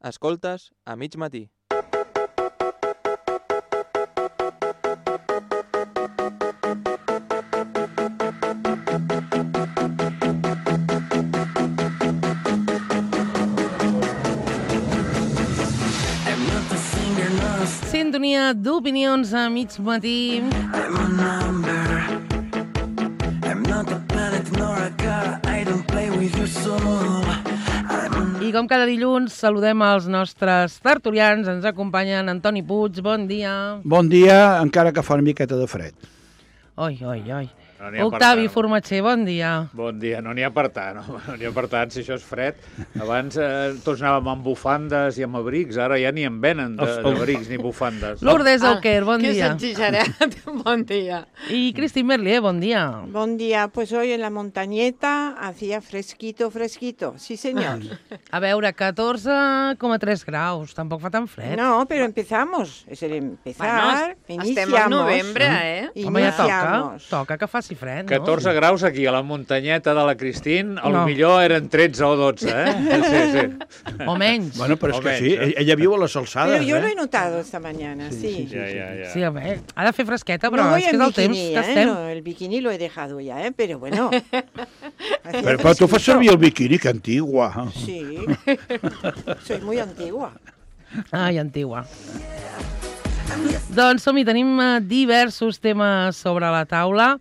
Escoltes a mig matí. Sintonia d'opinions a mig matí. I com cada dilluns saludem els nostres tertulians. Ens acompanyen Antoni Puig, bon dia. Bon dia, encara que fa una miqueta de fred. Oi, oi, oi. No Octavi Formatger, bon dia. Bon dia, no n'hi ha per tant, no n'hi ha per tant, si això és fred. Abans tots anàvem amb bufandes i amb abrics, ara ja ni en venen d'abrics ni bufandes. Lourdes Auquer, bon Que dia. és exagerat, bon dia. I Cristín Merlier, bon dia. Buen día, pues hoy en la montañeta hacía fresquito, sí señor. A veure, 14,3 graus, tampoc fa tan fred. No, pero empezamos, es el empezar, Estem al novembre, eh? Home, ja Iniciamos. toca que faci fred, no? 14 graus aquí a la muntanyeta de la Cristín, No. millor eren 13 o 12, Sí. O menys. Bueno, però és O que menys, sí, ella viu a les alçades, Pero yo lo he notado esta mañana, sí. Ja. Sí, a veure, ha de fer fresqueta, però No voy és que en és el temps bikini, que estem. no, el bikini lo he dejado ya, pero bueno. Hacía Però tu fas fresquito. servir el biquini, que antigua. Sí, soy muy antigua. Ai, antigua. Doncs som-hi, tenim diversos temes sobre la taula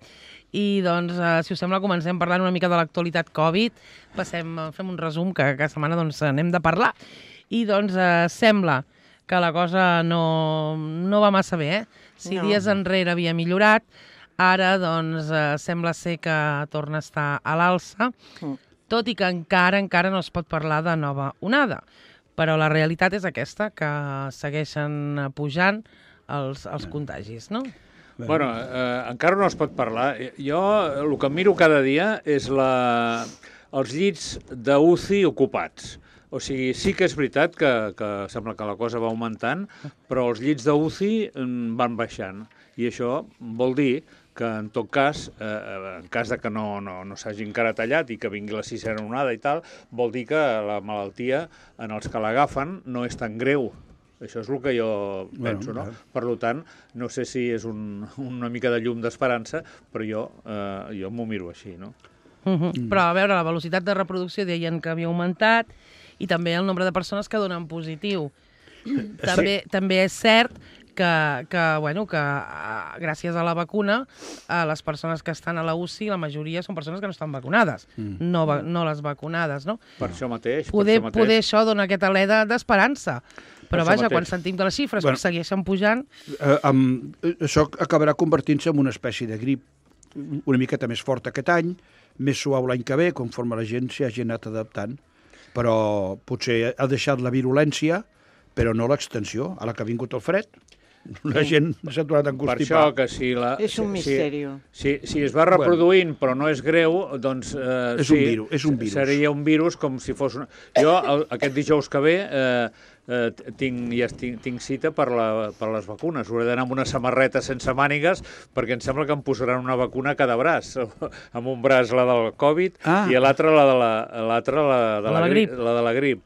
i, doncs, si us sembla, comencem parlant una mica de l'actualitat Covid. Fem un resum que cada setmana doncs, n'hem de parlar. I, doncs, sembla que la cosa no va massa bé, eh? Si No. dies enrere havia millorat, ara, doncs, sembla ser que torna a estar a l'alça, tot i que encara no es pot parlar de nova onada. Però la realitat és aquesta, que segueixen pujant els contagis, no? Bueno, encara no es pot parlar. Jo el que miro cada dia és els llits d'UCI ocupats. O sigui, sí que és veritat que sembla que la cosa va augmentant, però els llits d'UCI van baixant. I això vol dir que, en tot cas, en cas de que no s'hagi encara tallat i que vingui la sisena onada i tal, vol dir que la malaltia, en els que l'agafen, no és tan greu. Això és el que jo penso, no? Per tant, no sé si és una mica de llum d'esperança, però jo m'ho miro així, no? Però, a veure, la velocitat de reproducció deien que havia augmentat i també el nombre de persones que donen positiu. També és cert que gràcies a la vacuna, les persones que estan a la UCI, la majoria són persones que no estan vacunades, no les vacunades, no? Per això mateix. Poder això dona aquesta alè d'esperança. Però vaja, quan sentim de les xifres que segueixen pujant... Això acabarà convertint-se en una espècie de grip una miqueta més forta aquest any, més suau l'any que ve, conforme la gent s'hi hagi anat adaptant. Però potser ha deixat la virulència, però no l'extensió, a la que ha vingut el fred. La gent s'ha tornat a enconstipar. Per això que si És un misteri. Si es va reproduint però no és greu, doncs és un virus. Seria un virus com si fos... Jo aquest dijous que ve tinc cita per les vacunes. Hauré d'anar amb una samarreta sense mànigues perquè em sembla que em posaran una vacuna a cada braç. Amb un braç la del Covid i l'altre la de la grip.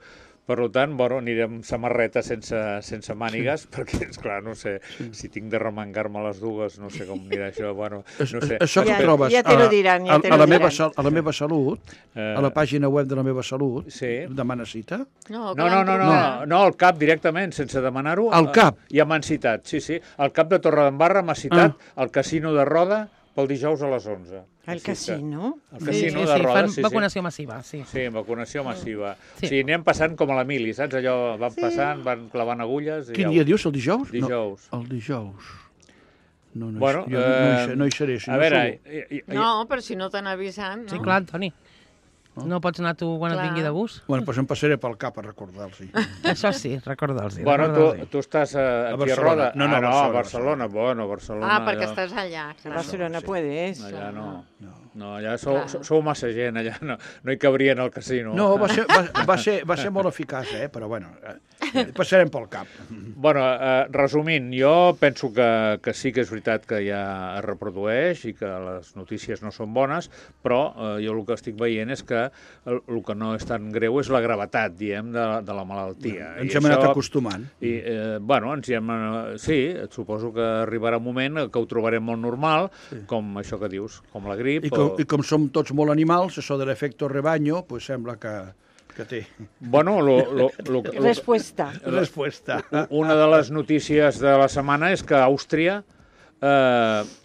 Per tant, aniré amb samarreta sense mànigues, perquè, esclar, no sé si tinc de remengar-me les dues, no sé com anirà això, no sé. Això que trobes ja te lo diran, a la meva salut, a la pàgina web de la meva salut, demana cita? No, al CAP directament, sense demanar-ho. Al CAP? Ja m'han citat, sí. El CAP de Torredembarra m'ha citat al Casino de Roda pel dijous a les 11. El casino? El casino de Roda, fan vacunació massiva, sí. Sí, vacunació massiva. O sigui, anem passant com a la mili, saps? Allò van passant, van clavant agulles... Quin dia dius, el dijous? Dijous. El dijous. No hi seré. A veure... No, però si no t'han avisat, no? Sí, clar, Antoni. No pots anar tu quan et vingui de gust? Bueno, doncs em passaré pel cap a recordar-los. Això sí, recordar-los. Bueno, tu estàs aquí a Roda. No, a Barcelona. Bueno, Barcelona... perquè estàs allà. A Barcelona puedes. Allà no. No, allà sou massa gent, allà no hi cabrien al casino. No, va ser molt eficaç, però bueno, passarem pel cap. Bueno, resumint, jo penso que sí que és veritat que ja es reprodueix i que les notícies no són bones, però jo el que estic veient és que el que no és tan greu és la gravetat, diem, de la malaltia. Ens hem anat acostumant. I, bueno, sí, suposo que arribarà un moment que ho trobarem molt normal, com això que dius, com la grip. I com som tots molt animals, això de l'efecte rebaño, pues sembla que té. Bueno, Respuesta. Una de les notícies de la setmana és que Àustria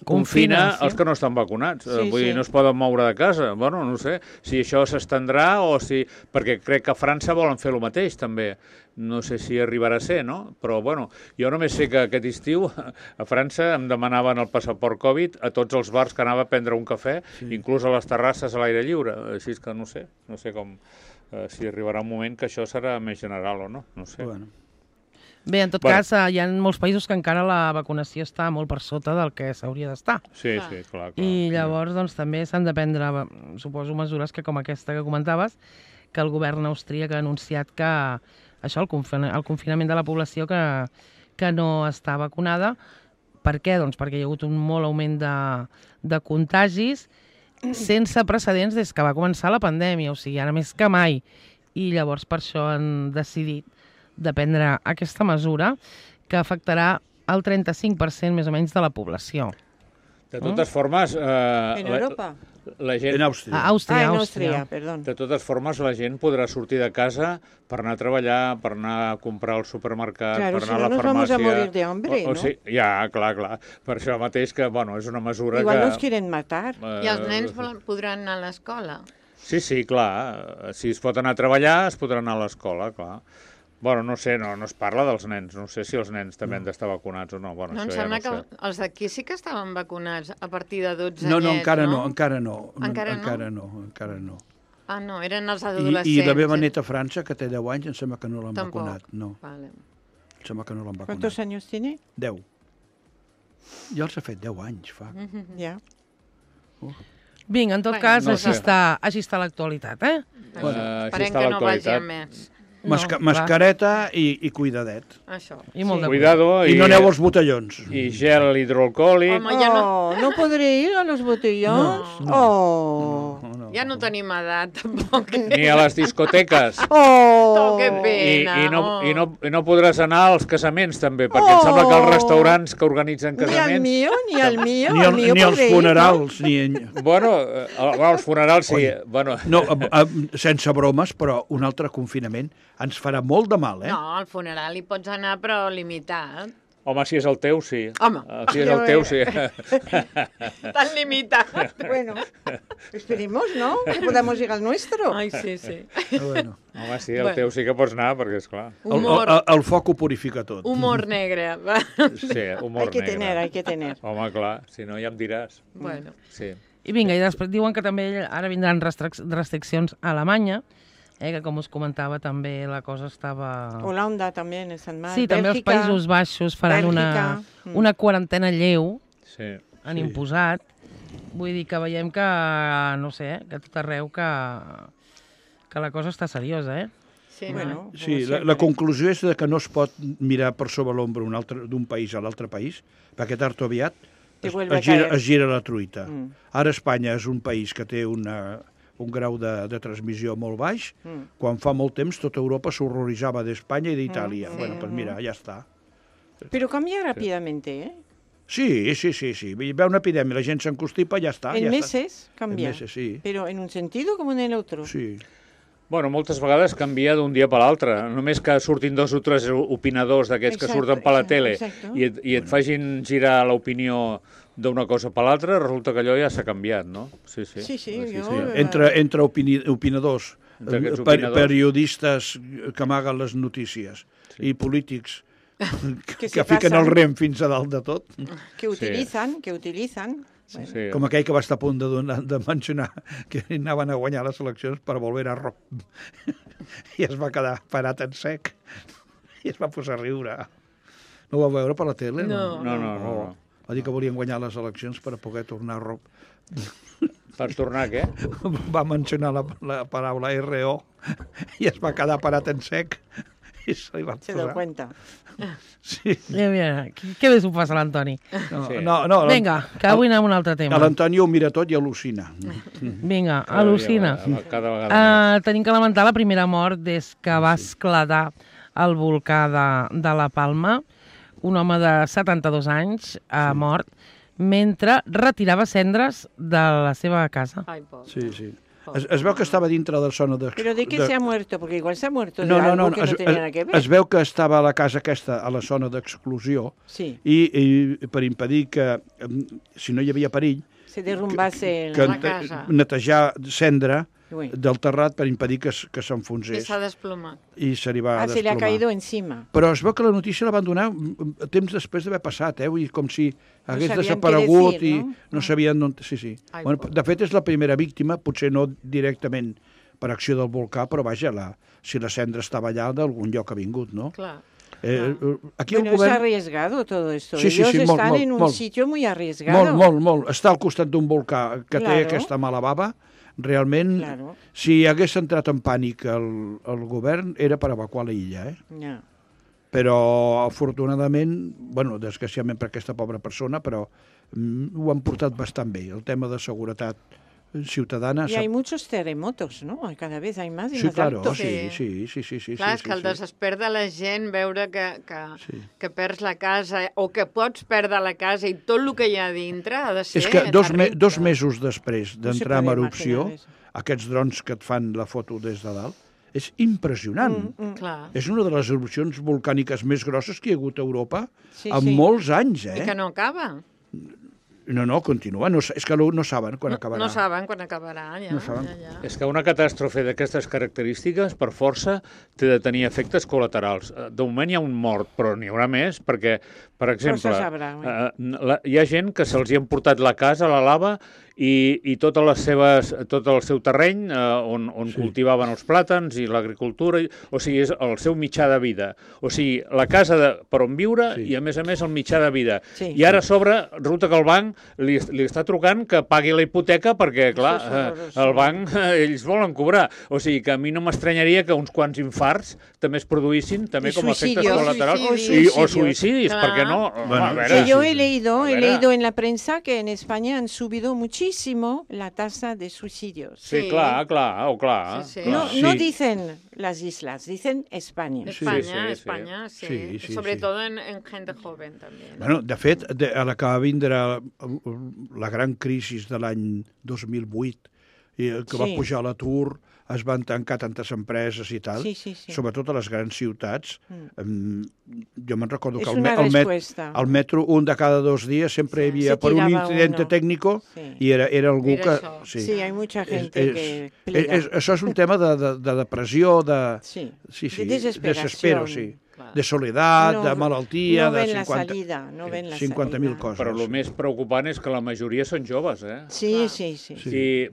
confina els que no estan vacunats. Vull dir, no es poden moure de casa. Bueno, no sé si això s'estendrà o si... Perquè crec que a França volen fer el mateix, també. No sé si arribarà a ser, no? Però, bueno, jo només sé que aquest estiu a França em demanaven el passaport Covid a tots els bars que anava a prendre un cafè, inclús a les terrasses a l'aire lliure. Així que no sé com... si arribarà un moment que això serà més general o no, no sé. Bueno. Bé, en tot cas, hi ha molts països que encara la vacunació està molt per sota del que s'hauria d'estar. Sí, clar. I llavors, doncs, també s'han de prendre, suposo, mesures que com aquesta que comentaves, que el govern austríac ha anunciat que això, el confinament de la població que no està vacunada. Per què? Doncs perquè hi ha hagut un molt augment de contagis sense precedents des que va començar la pandèmia, o sigui, ara més que mai. I llavors per això han decidit de prendre aquesta mesura que afectarà el 35% més o menys de la població. De totes formes... En Europa? La gent... En Àustria. A Àustria, en Àustria, perdó. De totes formes, la gent podrà sortir de casa per anar a treballar, per anar a comprar al supermercat, Claro, per anar a la farmàcia... Claro, si no nos vamos a morir de hambre, ¿no? Sí, ja, clar. Per això mateix que, bueno, és una mesura Igual que... nos quieren matar. I els nens podran anar a l'escola? Sí, clar. Si es pot anar a treballar, es podrà anar a l'escola, clar. Bueno, no sé, no es parla dels nens. No sé si els nens també han d'estar vacunats o no. Bueno, no, em sembla que els d'aquí sí que estaven vacunats a partir de 12 anyets, no? Encara no. Encara no. Ah, no, eren els adolescents. I la meva neta a França, que té 10 anys, em sembla que no l'han vacunat. No. Vale. Em sembla que no l'han vacunat. ¿Cuántos años tiene? 10. Ja els ha fet 10 anys, fa. Ja. Vinga, en tot cas, així està l'actualitat, Esperem que no vagi a més. Mascareta i cuidadet. Això. I molt de cuidado. I no aneu als botellons. I gel hidroalcohòlic. Home, ja no podré ir a los botellons? Ja no tenim edat, tampoc. Ni a les discoteques. Que pena. I no podràs anar als casaments, també, perquè em sembla que els restaurants que organitzen casaments... Ni al mío. Ni als funerals. Bueno, als funerals sí. No, sense bromes, però un altre confinament ens farà molt de mal, No, al funeral hi pots anar, però limitat. Home, si és el teu, sí. Home. Si és el teu, sí. Tan limitat. Bueno, esperemos, ¿no? Que podamos ir al nuestro. Ai, sí. Bueno. Home, sí, el teu sí que pots anar, perquè és clar. El foc ho purifica tot. Humor negre. Sí, humor negre. Hay que tener. Home, clar, si no ja em diràs. Bueno. Sí. I vinga, i després diuen que també ara vindran restriccions a Alemanya, que com us comentava també la cosa estava... Holanda també està mal. Sí, també els Països Baixos faran una quarantena lleu, han imposat. Vull dir que veiem que, no sé, que tot arreu que la cosa està seriosa, Sí, la conclusió és que no es pot mirar per sobre l'ombra d'un país a l'altre país, perquè tard o aviat es gira la truita. Ara Espanya és un país que té un grau de transmissió molt baix. Quan fa molt temps tota Europa s'horroritzava d'Espanya i d'Itàlia. Bueno, pues mira, ja està. Però canvia ràpidamente, Sí. Ve una epidèmia, la gent s'encostipa, ja està. En meses canvia. En meses, sí. Però en un sentit com en l'altre. Sí. Bueno, moltes vegades canvia d'un dia per l'altre. Només que surtin 2 o 3 opinadors d'aquests que surten per la tele i et facin girar l'opinió d'una cosa per l'altra, resulta que allò ja s'ha canviat, no? Sí. Entre opinadors, periodistes que amaguen les notícies i polítics que fiquen el rem fins a dalt de tot. Que utilitzen. Sí. Com aquell que va estar a punt de mencionar que anaven a guanyar les eleccions per volver a rock. I es va quedar parat en sec. I es va posar a riure. No ho va veure per la tele? No. Va dir que volien guanyar les eleccions per a poder tornar a Per tornar, què? va mencionar la paraula RO i es va quedar parat en sec i se li va Se dio posar. cuenta. Sí. Mira, què bé s'ho passa l'Antoni. No, Sí. no, Vinga, que avui anem a un altre tema. l'Antoni ho mira tot i al·lucina. Vinga, al·lucina. Cada vegada més. Tenim que lamentar la primera mort des que va esclatar el volcà de la Palma. Un home de 72 anys ha mort mentre retirava cendres de la seva casa. Ai, pobre. Sí, sí. Es veu que estava dintre de la zona de... ¿Pero de qué se ha muerto? Porque igual se ha muerto de No, algo que no tenía nada que ver. es veu que estava a la casa aquesta, a la zona d'exclusió, Sí, i per impedir que, si no hi havia perill, se derrumbase que La casa. netejar cendra Uy. del terrat per impedir que I s'enfonsés s'ha desplomat. i se li va Ah, se le ha desplomar. caído encima. Però es veu que la notícia la van donar temps després d'haver passat, vull dir, com si hagués sabien què desaparegut decir, i no? no sabien on... Sí, sí. Ai, Bueno, pobre. de fet, és la primera víctima, potser no directament per acció del volcà, però vaja, si la cendra estava allà, d'algun lloc ha vingut, no? Clar. Aquí Bueno, el es govern... arriesgado todo esto. Sí, sí, Ellos sí, están molt, en un molt. sitio muy arriesgado. Molt. Està al costat d'un volcà que té Claro. aquesta mala bava. Realment, Claro. si hagués entrat en pànic el govern, era per evacuar l'illa, eh? Ya. Però, afortunadament, bueno, desgraciadament per aquesta pobra persona, però ho han portat bastant bé. El tema de seguretat ciutadana... Y hay muchos terremotos, ¿no? Cada vez hay más y Sí, más claro, altos. sí. Clar, és que el desesper de la gent veure Sí. que perds la casa o que pots perdre la casa i tot el que hi ha a dintre ha de ser És que dos terrible. mesos després No se d'entrar en puede erupció, imaginar eso. aquests drons que et fan la foto des de dalt, és impressionant. Clar. És una de les erupcions volcàniques més grosses que hi ha hagut a Europa Sí, en sí. molts anys, I que no acaba. No, continua. No, és que no saben quan acabarà. No saben quan acabarà, ja. No saben. Ja. És que una catàstrofe d'aquestes característiques, per força, té de tenir efectes col·laterals. De moment hi ha un mort, però n'hi haurà més, perquè, per exemple, se sabrà, hi ha gent que se'ls hi ha portat la casa a la lava i tot el seu terreny on cultivaven els plàtans i l'agricultura, o sigui, és el seu mitjà de vida. O sigui, la casa per on viure i, a més, el mitjà de vida. Sí. I ara a sobre, resulta que el banc li està trucant que pagui la hipoteca perquè, clar, Això és horrorós. el banc, ells volen cobrar. O sigui, que a mi no m'estranyaria que uns quants infarts també es produïssin, també I com a efectes suïcidios. col·laterals. O O suïcidios. suïcidis, Clar. perquè no? Bueno, A veure, Que yo sí. he leído, A he ver, leído en la prensa que en España han subido muchísimo la tasa de suicidios. Sí, Sí. clar. Sí, sí. No, Sí. no dicen las islas, dicen España. España, sí. España, sí. Sí, sí, Sobre sí. todo en gente joven también. Bueno, de fet, a la que va vindre la gran crisi de l'any 2008, que va Sí. pujar l'atur, es van tancar tantes empreses i tal, Sí, sí, sí. sobretot a les grans ciutats. Jo me'n recordo És que una respuesta. al metro un de cada 2 dies sempre hi havia Se per un tirava incidente uno. tècnico Sí. i era algú Era que... això. Sí, hay mucha gente que plega. Això és un tema de depressió, Sí, sí, de desesperació. desespero, sí. Clar. De soledat, No- de malaltia, no de ven la 50... salida, no ven la 50.000 salida. coses. Però el més preocupant és que la majoria són joves, eh? Sí, sí, sí.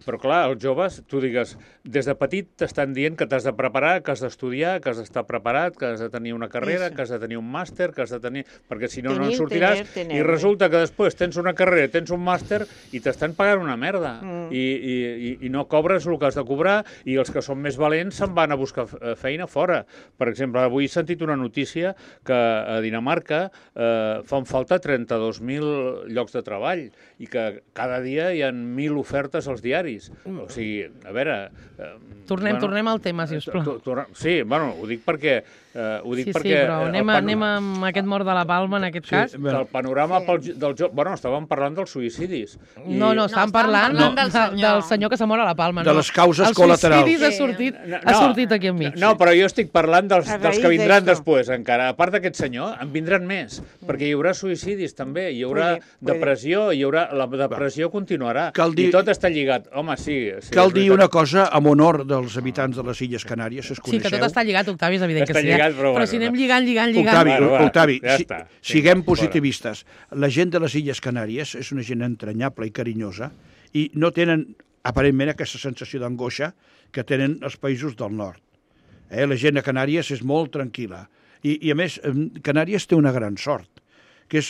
Però clar, els joves, tu digues, des de petit t'estan dient que t'has de preparar, que has d'estudiar, que has d'estar preparat, que has de tenir una carrera, Eso. que has de tenir un màster, que has de tenir... Perquè si no, no en Tenir, sortiràs. tener. I resulta que després tens una carrera, tens un màster i t'estan pagant una merda. I no cobres el que has de cobrar i els que són més valents se'n van a buscar feina fora. Per exemple, avui he sentit una notícia que a Dinamarca fan falta 32.000 llocs de treball i que cada dia hi ha 1.000 ofertes als diaris. O sigui, a veure... Tornem al tema, si us plau. Sí, bueno, ho dic perquè... Sí, però anem amb aquest mort de la Palma, en aquest cas. El panorama del joc... Bueno, estàvem parlant dels suïcidis. No, estàvem parlant del senyor que s'ha mort a la Palma. De les causes col·laterals. El suïcidi ha sortit aquí enmig. No, però jo estic parlant dels A raíz que vindran d'això. després, encara. A part d'aquest senyor, en vindran més, perquè hi haurà suïcidis també, hi haurà Puede. depressió, la depressió continuarà. Cal dir- I tot està lligat. Home, sí. Cal és dir veritat. una cosa amb honor dels habitants de les Illes Canàries, es Sí, coneixeu? que tot està lligat, Octavi, és evident Està que sí. lligat, però bueno, si anem no. lligant... Octavi, Bueno, va, Octavi, ja està. siguem Vinga, positivistes. La gent de les Illes Canàries és una gent entranyable i carinyosa i no tenen, aparentment, aquesta sensació d'angoixa que tenen els països del nord. La gent a Canàries és molt tranquil·la. I a més, Canàries té una gran sort, que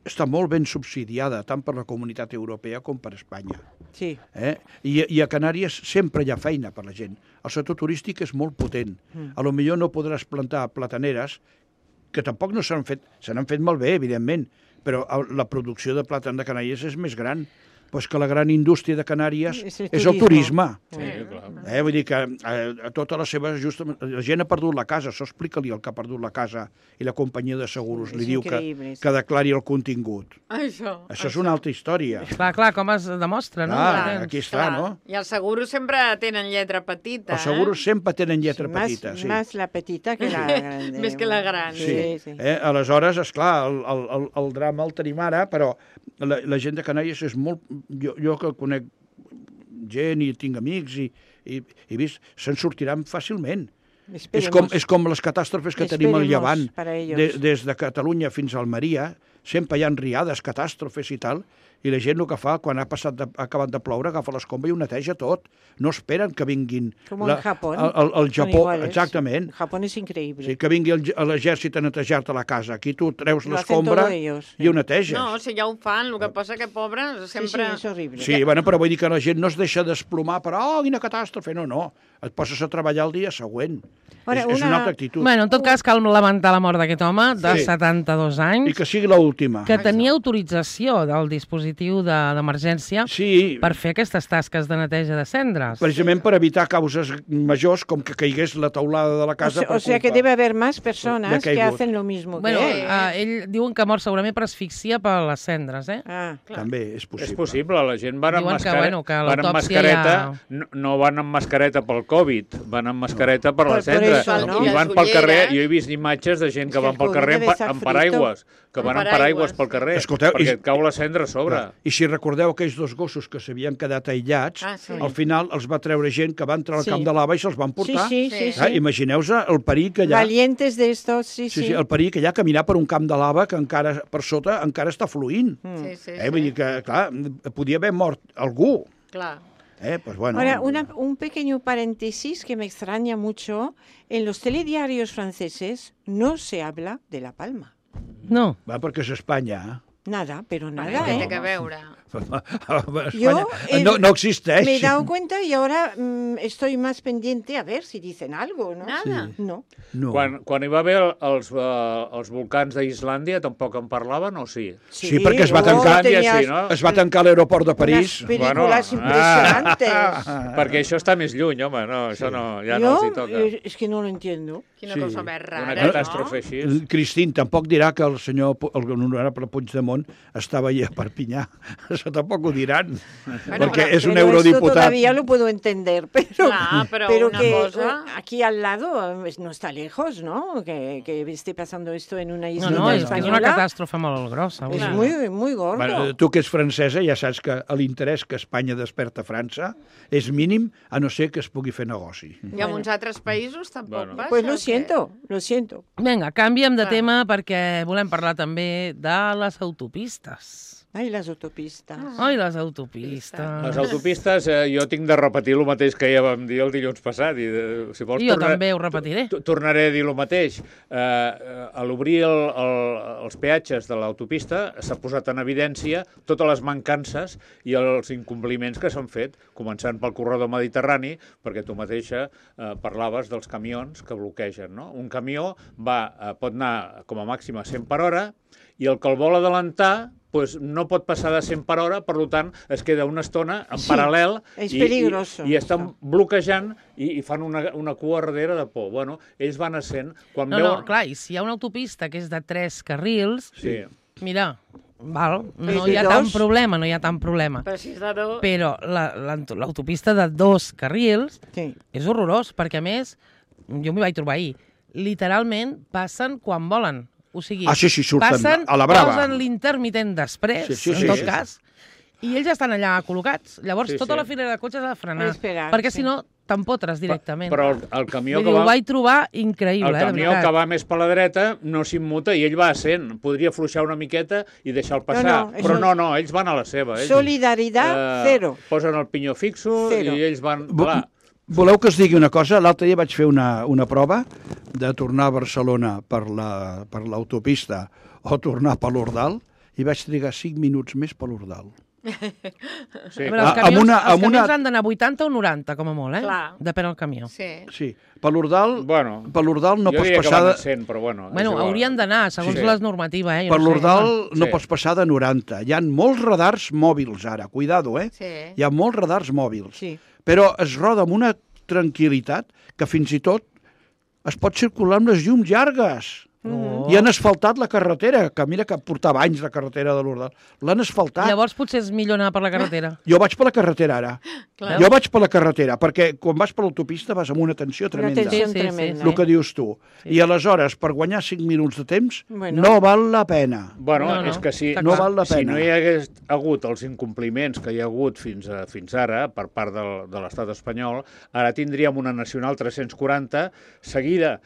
està molt ben subsidiada, tant per la Comunitat Europea com per Espanya. Sí. I a Canàries sempre hi ha feina per la gent. El sector turístic és molt potent. A lo millor no podràs plantar plataneres, que tampoc no s'han fet, se n'han fet molt bé, evidentment, però la producció de plàtan de Canàries és més gran. Pues que la gran indústria de Canàries és el turisme. Sí, clar. Vull dir que a tota la seva la gent ha perdut la casa, això explica-li el que ha perdut la casa i la companyia de seguros li diu que declari el contingut. Això és una altra història. Clar, com es demostra, no? Aquí està, no? I els seguros sempre tenen lletra petita. Els seguros sempre tenen lletra petita, sí. Més la petita que la gran. Més que la gran. Sí. Aleshores, esclar, el drama el tenim ara, però la gent de Canàries és molt... Jo que conec gent i tinc amics i he vist, se'n sortiran fàcilment. És com les catàstrofes que tenim al Llevant. Des de Catalunya fins a Almeria, sempre hi ha riades, catàstrofes i tal, i la gent el que fa, quan ha acabat de ploure, agafa l'escombra i ho neteja tot. No esperen que vinguin... Com en Japó. El Japó, exactament. Japó és increïble. Sí, que vingui l'exèrcit a netejar-te la casa. Aquí tu treus l'escombra i ho neteges. No, si ja ho fan, el que passa que, pobres, sempre... Sí, és horrible. Sí, però vull dir que la gent no es deixa desplomar per quina catàstrofe. No. Et poses a treballar el dia següent. És una altra actitud. Bueno, en tot cas, cal lamentar la mort d'aquest home de 72 anys. I que sigui l'última. Que tenia autorització del dispositiu d'emergència per fer aquestes tasques de neteja de cendres. Precisament per evitar causes majors com que caigués la teulada de la casa. O sea que debe haber más personas que hacen lo mismo que él. Ell diuen que mor segurament per asfíxia per les cendres, També és possible. És possible, la gent van amb mascareta, no van amb mascareta pel Covid, van amb mascareta per la cendra. I van pel carrer, jo he vist imatges de gent que van pel carrer amb paraigües, que van amb paraigües pel carrer, perquè et cau la cendra a sobre. I si recordeu aquells dos gossos que s'havien quedat aïllats, al final els va treure gent que va entrar al camp de lava i se'ls van portar. Sí. Imagineu-vos el perill que hi ha. Valientes de estos, sí. El perill que hi ha caminar per un camp de lava que encara per sota encara està fluint. Vull dir que, clar, podia haver mort algú. Clar. Pues bueno. Ahora, un pequeño paréntesis que me extraña mucho. En los telediarios franceses no se habla de La Palma. No. Va, perquè és Espanya. Nada, pero nada, Què té que veure? Yo no existeix. Me he dado cuenta y ahora estoy más pendiente a ver si dicen algo, ¿no? Nada. No. Quan hi va haver els volcans d'Islàndia, tampoc en parlaven, o sí? Sí, perquè es va tancar l'aeroport de París. Unas películas impresionantes. Perquè això està més lluny, home, no, això no, ja no els hi toca. Es que no lo entiendo. Quina cosa més rara, una catàstrofe així. Cristín, tampoc dirà que el honorable Puigdemont estava allà a Perpinyà. Eso tampoco ho diran, porque es un eurodiputat. Esto todavía lo puedo entender, pero una que cosa... aquí al lado no está lejos, ¿no? Que esté pasando esto en una isla española. Es que és una catàstrofe molt grossa. És muy gordo. Bueno, tu que ets francesa ja saps que l'interès que Espanya desperta a França és mínim, a no ser que es pugui fer negoci. I en uns altres països tampoc passa? Pues lo siento. Vinga, canviem de tema perquè volem parlar també de les autopistes. Ai, les autopistes. Les autopistes. Les autopistes, jo tinc de repetir el mateix que ja vam dir el dilluns passat. Si vols, jo també ho repetiré. Tornaré a dir el mateix. A l'obrir els peatges de l'autopista s'ha posat en evidència totes les mancances i els incompliments que s'han fet, començant pel corredor mediterrani, perquè tu mateixa parlaves dels camions que bloquegen, no? Un camió pot anar com a màxim a 100 per hora i el que el vol adelantar no pot passar de 100 per hora, per tant, es queda una estona en paral·lel i estan bloquejant i fan una cua darrere de por. Bueno, ells van a 100. Clar, i si hi ha una autopista que és de 3 carrils, mira, no hi ha tant problema. Però l'autopista de 2 carrils és horrorós, perquè a més, jo m'hi vaig trobar ahir, literalment passen quan volen. O sigui, surten a la brava. Posen l'intermitent després, en tot cas, i ells estan allà col·locats. Llavors, tota la filera de cotxes ha de frenar, perquè si no, t'empotres directament. Però el camió ho vaig trobar increïble, el camió que va més per la dreta no s'immuta i ell va a 100. Podria fluixar una miqueta i deixar-lo passar. Però no, ells van a la seva. Solidaritat, zero. Posen el pinyó fixo i ells van... Voleu que us digui una cosa? L'altre dia vaig fer una prova de tornar a Barcelona per l'autopista o tornar per l'Ordal i vaig trigar 5 minuts més per l'Ordal. Sí. A veure, els camions han d'anar 80 o 90, com a molt, eh? Clar. Depèn del camió. Sí. Sí, per l'Ordal Bueno, no jo pots diria passar que van de... a 100, però bueno. és Bueno, igual. haurien d'anar, segons Sí. les normatives, eh? Jo Per no sé. l'Ordal no Sí. pots passar de 90. Hi ha molts radars mòbils ara, cuidado, eh? Sí. Hi ha molts radars mòbils. Sí. Però es roda amb una tranquil·litat que fins i tot es pot circular amb les llums llargues. Oh. I han asfaltat la carretera, que mira que portava anys la carretera de l'Ordal. L'han asfaltat. Llavors potser és millor anar per la carretera. Jo vaig per la carretera ara. Clar. Jo vaig per la carretera, perquè quan vas per l'autopista vas amb una tensió tremenda. Una tensió Sí, sí, sí. tremenda. El que dius tu. I aleshores, per guanyar 5 minuts de temps, Bueno. no val la pena. Bueno, No, és que si, està No val la si pena. no hi hagués hagut els incompliments que hi ha hagut fins ara per part de l'estat espanyol, ara tindríem una nacional 340 seguida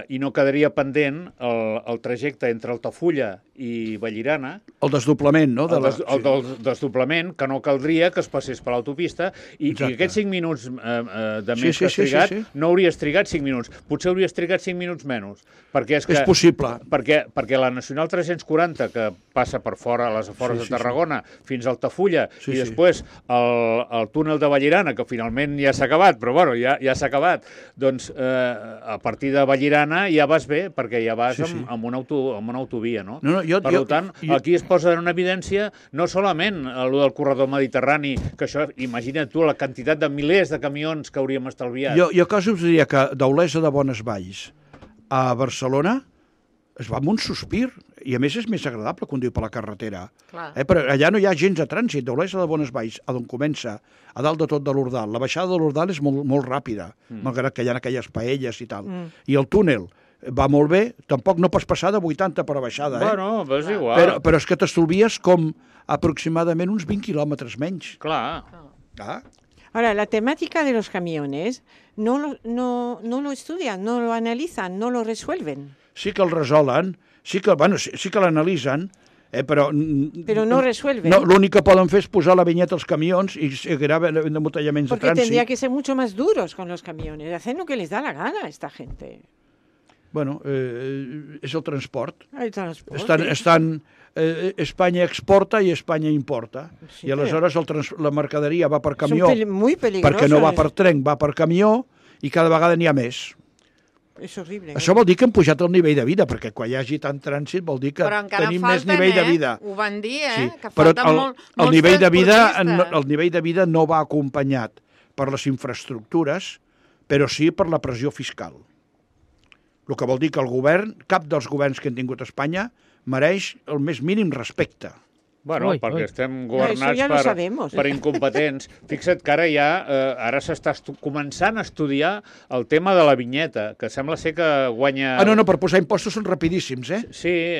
i no quedaria pendent el trajecte entre Altafulla i Vallirana, El desdoblament, no? el del desdoblament, que no caldria que es passés per l'autopista, i Exacte. aquests 5 minuts de Sí, més sí, que has sí, sí, trigat, sí. no hauries trigat 5 minuts. Potser hauries trigat 5 minuts menys. Perquè és que... És possible. Perquè la Nacional 340, que passa per fora, a les afores Sí, de sí, Tarragona, fins a Altafulla, Sí, i sí. després el túnel de Vallirana, que finalment ja s'ha acabat, però bueno, ja s'ha acabat, doncs a partir de Vallirana ja vas bé, perquè ja vas Sí, sí. amb una autovia, no? No, Per tant, aquí es posa en evidència no solament el del corredor mediterrani, que això, imagina't tu la quantitat de milers de camions que hauríem estalviat. Jo quasi us diria que d'Olesa de Bones Valls a Barcelona es va amb un sospir, i a més és més agradable conduir per la carretera. Clar. Però allà no hi ha gens de trànsit. D'Olesa de Bones Valls, a d'on comença, a dalt de tot de l'Ordal. La baixada de l'Ordal és molt, molt ràpida, malgrat que hi ha aquelles paelles i tal. I el túnel va molt bé, tampoc no pots passar de 80 per a baixada, Bueno, però és igual. Però és que t'estolvies com aproximadament uns 20 quilòmetres menys. Clar. Ah, Ahora, la temática de los camiones no lo estudian, no lo analizan, no lo resuelven. sí que el resolen, sí que l'analitzen, però... Pero no resuelven. No, l'únic que poden fer és posar la vinyeta als camions i graven embotellaments de Porque trànsit. tendría que ser mucho más duros con los camiones, hacen lo que les da la gana a esta gente. Bueno, és el transport. El transporte. Espanya exporta i Espanya importa. Sí, I aleshores la mercaderia va per Es un camió, muy peligroso. perquè no va per tren, va per camió, i cada vegada n'hi ha més. Es horrible. Això vol dir que hem pujat el nivell de vida, perquè quan hi hagi tant trànsit vol dir que Però encara tenim més falten, nivell de vida. Ho van dir, Sí, que però falten el nivell de vida, transportistes. el nivell de vida no va acompanyat per les infraestructures, però sí per la pressió fiscal. El que vol dir que el govern, cap dels governs que han tingut a Espanya, mereix el més mínim respecte. Bueno, Ui, perquè ui. estem Eso governats ya lo sabemos. per incompetents. Fixa't que ara s'està començant a estudiar el tema de la vinyeta, que sembla ser que guanya... No, per posar impostos són rapidíssims, eh? Sí,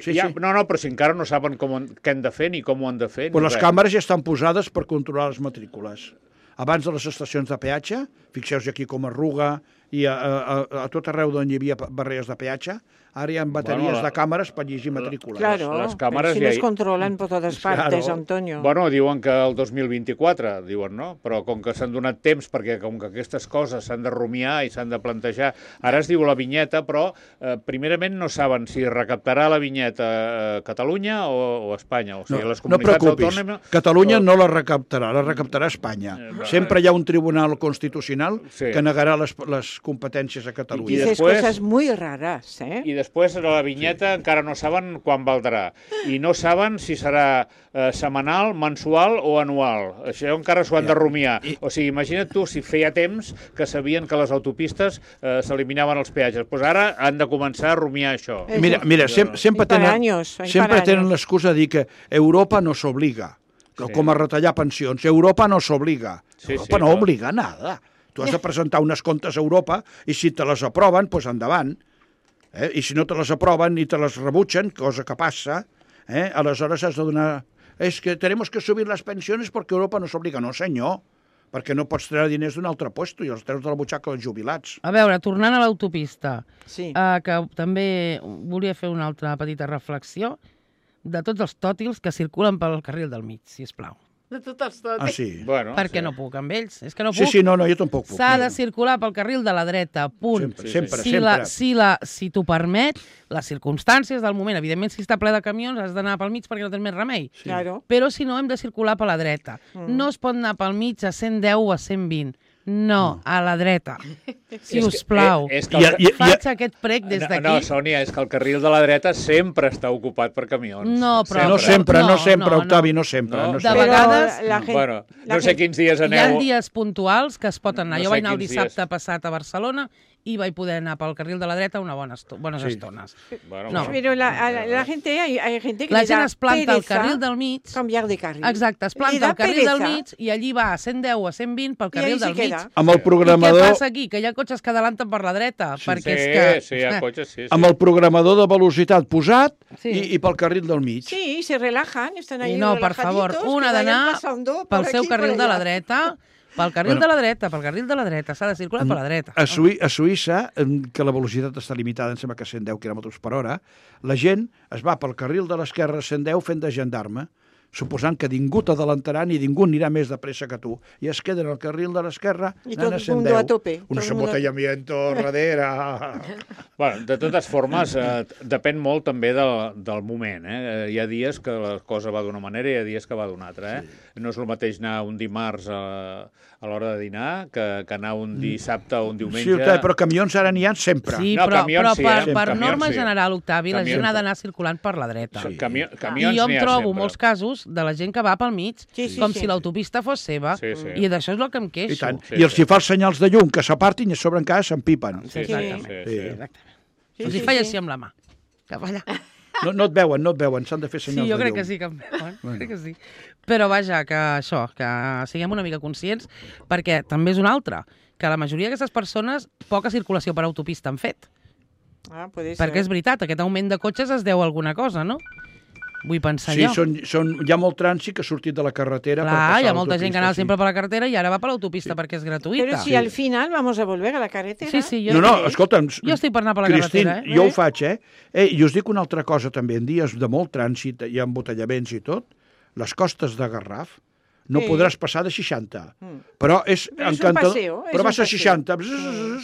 Sí, ja, sí. no, però si encara no saben què han de fer ni com ho han de fer. Però ni les res. càmeres ja estan posades per controlar les matrícules. Abans de les estacions de peatge, fixeu-vos aquí com a Ruga i a tot arreu d'on hi havia barreres de peatge, ara hi ha bateries de càmeres per llegir matrícules. Claro, les càmeres si ja nos hi- controlan por todas partes, Claro. Antonio. Bueno, diuen que el 2024, diuen, no? Però com que s'han donat temps, perquè com que aquestes coses s'han de rumiar i s'han de plantejar... Ara es diu la vinyeta, però primerament no saben si recaptarà la vinyeta Catalunya o Espanya. O sigui, les No comunitats preocupis, autònomes... Catalunya no la recaptarà Espanya. Sempre hi ha un tribunal constitucional Sí. que negarà les competències a I Catalunya. Dices después- cosas muy raras, ¿eh? I després la vinyeta encara no saben quan valdrà. I no saben si serà setmanal, mensual o anual. Això encara s'ho han de rumiar. O sigui, imagina't tu si feia temps que sabien que les autopistes s'eliminaven els peatges. Doncs ara han de començar a rumiar això. Mira, sempre Hay para tenen, años, hay sempre para tenen años. l'excusa de dir que Europa no s'obliga, Sí. com a retallar pensions. Europa no s'obliga. Sí, Europa sí, no clar. obliga nada. Tu has de presentar unes comptes a Europa i si te les aproven, doncs endavant. I si no te les aproven i te les rebutgen, cosa que passa, aleshores has de donar... És que tenemos que subir les pensions perquè Europa no s'obliga. No, senyor, perquè no pots treure diners d'un altre puesto i els treus de la butxaca dels jubilats. A veure, tornant a l'autopista, Sí. que també volia fer una altra petita reflexió de tots els tòtils que circulen pel carril del mig, si us plau. De totes, tot. Ah, sí. Bueno, perquè sí. no puc amb ells. És que no Sí, puc. sí, no, jo tampoc puc. S'ha de circular pel carril de la dreta, punt. Sempre, sempre. Si t'ho permet, les circumstàncies del moment, evidentment, si està ple de camions, has d'anar pel mig perquè no tens més remei. Claro. Però si no, hem de circular per la dreta. No es pot anar pel mig a 110 o a 120. No, a la dreta. Si us plau. És que Faig aquest prec des d'aquí. No, Sònia, és que el carril de la dreta sempre està ocupat per camions. No, però... No sempre, No, Octavi, no sempre. No. No De sempre. vegades... la gent, Bueno, no sé quins dies Hi ha aneu... dies puntuals que es pot anar. No Jo sé vaig anar el quins dissabte dies. passat a Barcelona i vaig poder anar pel carril de la dreta bones estones. Bueno, No. Pero la gente, hay gente que La le gent da es planta al pereza carril del mig. cambiar de carril. Exacte, es Le planta da al carril del pereza. mig i allí va a 110 o a 120 pel I carril ahí se del mig. queda. Amb el I què programador... passa aquí? Que hi ha cotxes que adelanten per la dreta? Perquè és Sí, que... sí, hi ha cotxes, sí. Amb el programador de velocitat posat Sí. i pel carril del mig. Sí, se relajan, están ahí I no, per favor, relajaditos, un que ha vayan d'anar pasando por pel seu aquí, por carril de la allá. dreta, pel carril de la dreta, pel carril de la dreta. S'ha de circular per la dreta. A Suïssa, que la velocitat està limitada, em sembla que a 110 km per hora, la gent es va pel carril de l'esquerra a 110 fent de gendarme, suposant que ningú t'adalantarà ni ningú anirà més de pressa que tu. I es queden al carril de l'esquerra I anant tot a el mundo 110. a tope, Un tot el mundo- embotellamiento darrere. Bueno, de totes formes, depèn molt també del moment. Hi ha dies que la cosa va d'una manera i hi ha dies que va d'una altra. No és el mateix anar un dimarts a l'hora de dinar que anar un dissabte o un diumenge. Sí, Octavi, però camions ara n'hi ha sempre. Sí, No, però, camions però sí, per camions norma sí. general, Octavi, la gent Camions. ha d'anar circulant per la dreta. Sí. I Camions jo em n'hi ha trobo sempre. molts casos de la gent que va pel mig, Sí, sí, com sí. si l'autopista fos seva, Sí, sí. i d'això és el que em I queixo. tant. Sí, I els sí. hi fa els senyals de llum que s'apartin i a sobre encara s'empipen. Sí, sí, Exactament. sí, Sí. sí. Exactament. Sí, Els sí, hi faig sí. així amb la mà. Cap allà. No et veuen, s'han de fer Sí, senyals jo de crec llum. que sí que em veuen. Crec que sí. Però vaja, que això, que siguem una mica conscients, perquè també és un altre, que la majoria d'aquestes persones poca circulació per autopista han fet. Ah, puede ser. Perquè és veritat, aquest augment de cotxes es deu a alguna cosa, no? Vull pensar Sí, jo. hi ha molt trànsit que ha sortit de la carretera per Clar, passar hi ha molta gent que anava l'autopista, sempre per la carretera i ara va per l'autopista perquè és gratuïta. Pero si al final vamos a volver a la carretera. Sí, sí, No, escolta'm, Jo estic per anar per la Cristín, carretera, jo ho faig, I us dic una altra cosa també, en dies de molt trànsit i embotellaments i tot, les costes de Garraf no Sí. podràs passar de 60, però és Però és un encantador, paseo, és però un vas a paseo. 60,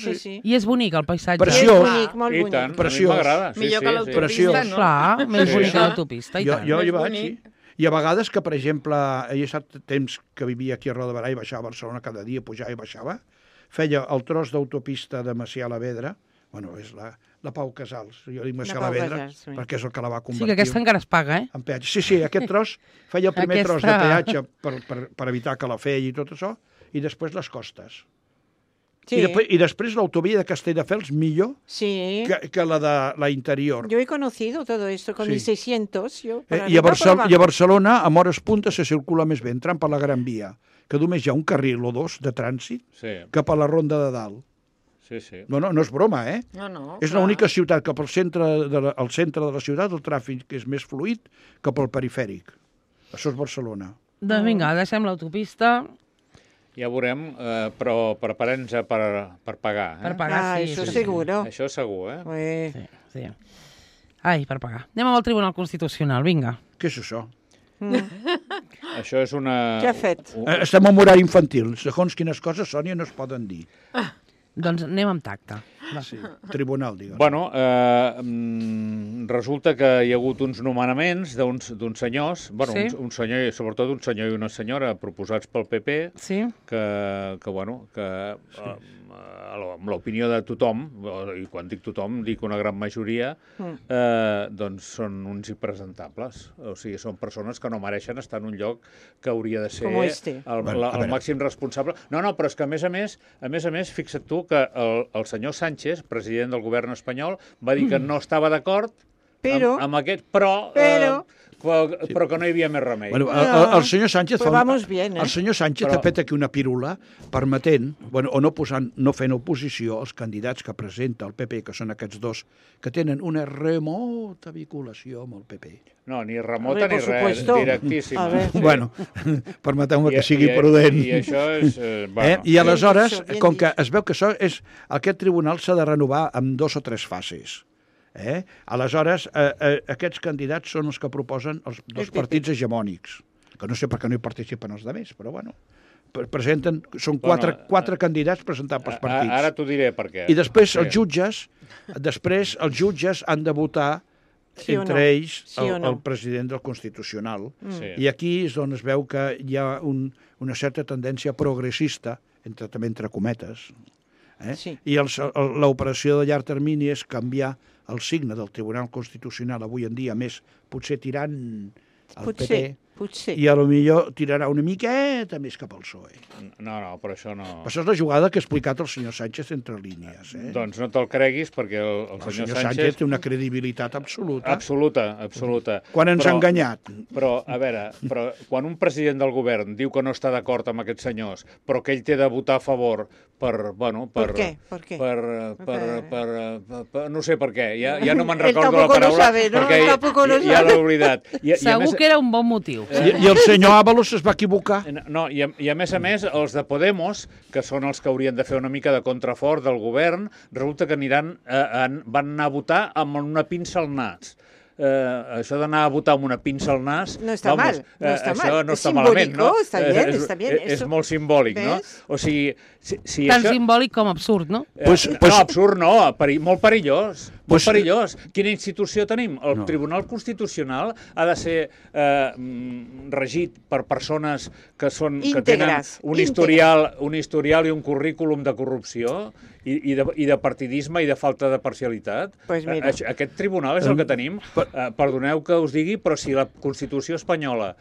Sí, sí. I és bonic el paisatge. Preciós. És bonic, molt I bonic. tant, Preciós. a mi m'agrada. Sí, Millor sí, que sí. l'autopista, Preciós. no? Clar, més Sí. bonic que l'autopista, i Jo tant. hi És vaig, bonic. sí. I a vegades que, per exemple, he estat temps que vivia aquí a Roda de Barà i baixava a Barcelona cada dia, pujava i baixava, feia el tros d'autopista de Macià a la Vedra, bueno, és la Pau Casals, jo dic Macià a la Pau Vedra, Casals, sí. perquè és el que la va Sí, convertir que aquesta encara es paga, en peatge. Sí, aquest tros feia el primer tros de peatge per evitar que la feia i tot això, i després les costes. Sí. I després l'autovia de Castelldefels millor Sí. que la de la interior. Yo he conocido todo esto con Sí. mis 600. Yo, por I a, arriba, por abajo. I a Barcelona, a hores punta, se circula més bé, entrant per la Gran Via, que només hi ha un carril o dos de trànsit Sí, cap a la Ronda de Dalt. sí, sí. No és broma, No, És clar. l'única ciutat que pel centre al centre de la ciutat el tràfic és més fluid que pel perifèric. Això és Barcelona. Doncs vinga, deixem l'autopista Ja veurem, però preparem-nos per pagar. per pagar. Ah, sí, eso sí, seguro. Això segur, Pues, Sí, sí. Ai, per pagar. Anem amb el Tribunal Constitucional, vinga. Què és això? Això és una... Què ha fet? Estem en horari infantil. Segons quines coses, Sònia, no es poden dir. Doncs anem amb tacte. Va. Sí. Tribunal, digues. Bueno, resulta que hi ha hagut uns nomenaments d'uns senyors, bueno, Sí. un senyor, sobretot un senyor i una senyora proposats pel PP, Sí? amb l'opinió de tothom, i quan dic tothom dic una gran majoria, doncs són uns impresentables. O sigui, són persones que no mereixen estar en un lloc que hauria de ser Com este. Bueno, a el veure. màxim responsable. No, però és que a més a més, fixa't tu que el senyor Sánchez, president del govern espanyol, va dir que no estava d'acord Però- amb aquest, però que no hi havia més remei. Bueno, No. el senyor Sánchez Pues vamos bien, el senyor Sánchez Però- ha fet aquí una pírula permetent, o no fent oposició als candidats que presenta el PP, que són aquests dos, que tenen una remota vinculació amb el PP. No, ni remota Hombre, ni por res, supuesto. directíssima. A ver. Sí. Bueno, permeteu-me que sigui I prudent. I això és... Bueno, I aleshores, Bien dicho, bien com que dicho. es veu que aquest tribunal s'ha de renovar en 2 o 3 fases. Aleshores, aquests candidats són els que proposen els dos El PP. partits hegemònics. que no sé per què no hi participen els altres, però bueno, presenten, són quatre candidats presentats pels partits. Ara t'ho diré per què. I després els jutges han de votar Sí o entre no? ells Sí o no? el president del Constitucional. Sí. I aquí és on es veu que hi ha una certa tendència progressista, també entre cometes, Sí. i l'operació de llarg termini és canviar el signe del Tribunal Constitucional avui en dia, més potser tirant al PP, Potser. i a lo millor tirarà una miqueta més cap al PSOE. No, però això no... Això és la jugada que ha explicat el senyor Sánchez entre línies. Doncs no te'l creguis, perquè el senyor Sánchez té una credibilitat absoluta. Absoluta. Quan ens ha enganyat. Però, a veure, quan un president del govern diu que no està d'acord amb aquests senyors, però que ell té de votar a favor per què? Per què? No sé per què, ja no me'n Él recordo la tampoco lo paraula, sabe, ¿no? perquè Él tampoco lo ja sabe. l'he oblidat. Segur que era un bon motiu. I el senyor Ábalos es va equivocar. No, i a més, els de Podemos, que són els que haurien de fer una mica de contrafort del govern, resulta que van anar a votar amb una pinça al nas. Això d'anar a votar amb una pinça al nas... No està mal, no està això mal. no És està malament, no? simbólico, está bien. És molt simbòlic, no? ¿Ves? O sigui, si Tan això... simbòlic com absurd, no? No, absurd no, molt perillós. Molt Pues- perillós. Quina institució tenim? El No. Tribunal Constitucional ha de ser regit per persones que tenen Íntegres, un historial i un currículum de corrupció i de partidisme i de falta de parcialitat. Pues mira. Aquest tribunal és el que tenim. Perdoneu que us digui, però si la Constitució espanyola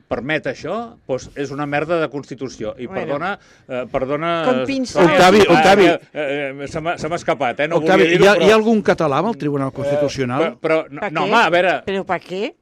permet això, doncs és una merda de Constitució. I Bueno. perdona... Con pinces. Octavi. Se m'ha escapat, no Octavi, volia dir-ho, hi ha algun català amb el Tribunal Constitucional? Però, ¿Pa no, qué? home, a veure... ¿Pero para qué?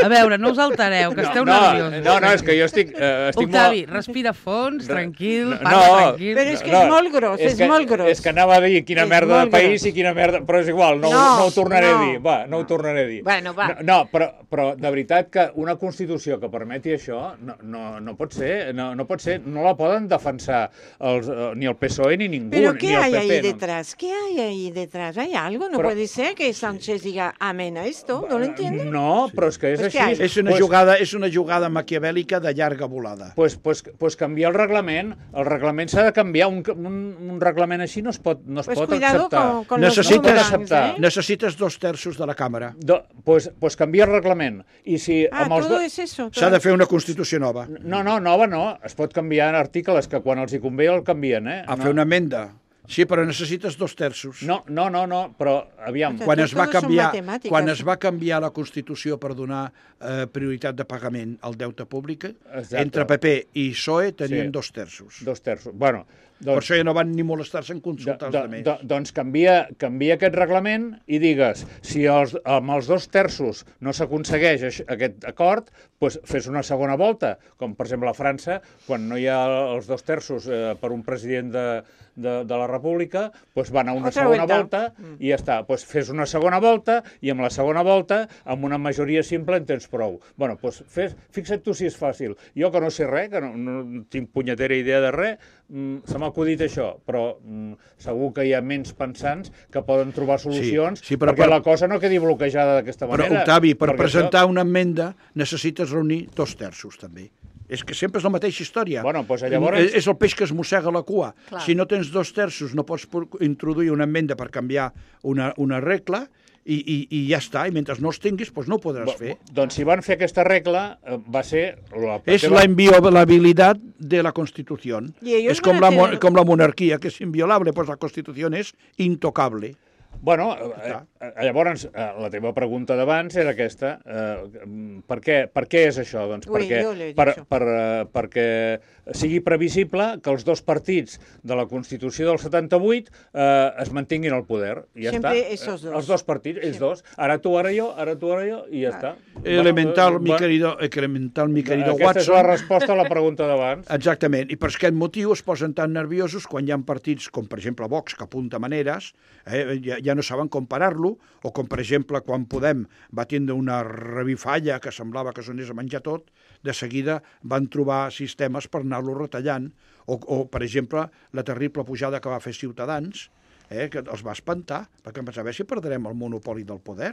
A veure, no us altereu, que esteu no, nerviosos. no, és que jo estic Octavi, molt... respira fons, tranquil, No, parla no, tranquil. Però és que és molt gros, és molt gros. És que anava a dir quina És merda de molt país gros. i quina merda... Però és igual, no ho tornaré a dir. Va, no ho tornaré a dir. Bueno, va. No, però de veritat que una Constitució que permeti això no pot ser, no pot ser, no la poden defensar ni el PSOE ni ningú, ¿Pero ni qué el hay PP. ahí no. detrás? ¿Qué hay ahí detrás? ¿Hay algo? No Pero- puede ser que Sánchez diga amén a esto. ¿No lo entiendo? No, però és que és Pues què així. hay? És una jugada maquiavèlica de llarga volada. Pues canviar el reglament s'ha de canviar, un reglament així no es pot Pues acceptar. cuidado con los Necessites, boomerangs, acceptar. ¿eh? necessites 2/3 de la càmera. Pues canviar el reglament. I si amb els Todo es eso. S'ha de fer una Constitució nova. No, nova no. Es pot canviar articles que quan els hi convé el canvien, eh? A fer una emenda. Sí, però necessites 2/3. No, però aviam. Quan es, va Todos son canviar, matemàtiques. quan es va canviar la Constitució per donar prioritat de pagament al deute públic, Exacte. entre PP i PSOE tenien Sí. 2/3. 2/3. Bueno, Per això ja no van ni molestar-se en consultar els altres. doncs canvia aquest reglament i digues, si amb els 2/3 no s'aconsegueix aquest acord, doncs fes una segona volta, com per exemple a França, quan no hi ha els 2/3 per un president de la República, doncs van a una Otra segona vuelta. volta i ja està. Doncs fes una segona volta i amb la segona volta, amb una majoria simple, en tens prou. Bueno, doncs fixa't tu si és fàcil. Jo que no sé res, que no tinc punyetera idea de res, se m'ha acudit això, però segur que hi ha ments pensants que poden trobar solucions Sí, però perquè la cosa no quedi bloquejada d'aquesta Però, manera. Octavi, per perquè presentar una emenda necessites reunir 2/3 també. És que sempre és la mateixa història. Bueno, doncs llavors- És el peix que es mossega la cua. Clar. Si no tens 2/3 no pots introduir una emenda per canviar una regla i ja està. I mentre no els tinguis, doncs no ho podràs fer. Doncs si van fer aquesta regla, va ser... És la inviolabilitat de la Constitució. Y ellos És com van a tener- com la monarquia, que és inviolable, doncs la Constitució és intocable. Bueno, llavors, la teva pregunta d'abans era aquesta. Per què és això? Doncs Ui, jo l'he dit, això. perquè sigui previsible que els dos partits de la Constitució del 78 es mantinguin al poder. I ja Sempre està. esos dos. Els dos partits, ells dos. Ara tu, ara jo, i ja està. Elemental, mi Bueno, querido aquesta Watson. és la resposta a la pregunta d'abans. Exactament, i per aquest motiu es posen tan nerviosos quan hi ha partits com, per exemple, Vox, que apunta maneres, ja no saben com parar-lo, o com, per exemple, quan Podem va tindre una revifalla que semblava que s'anés a menjar tot, de seguida van trobar sistemes per anar-lo retallant, o, per exemple, la terrible pujada que va fer Ciutadans, que els va espantar, perquè em pensava, si perdrem el monopoli del poder.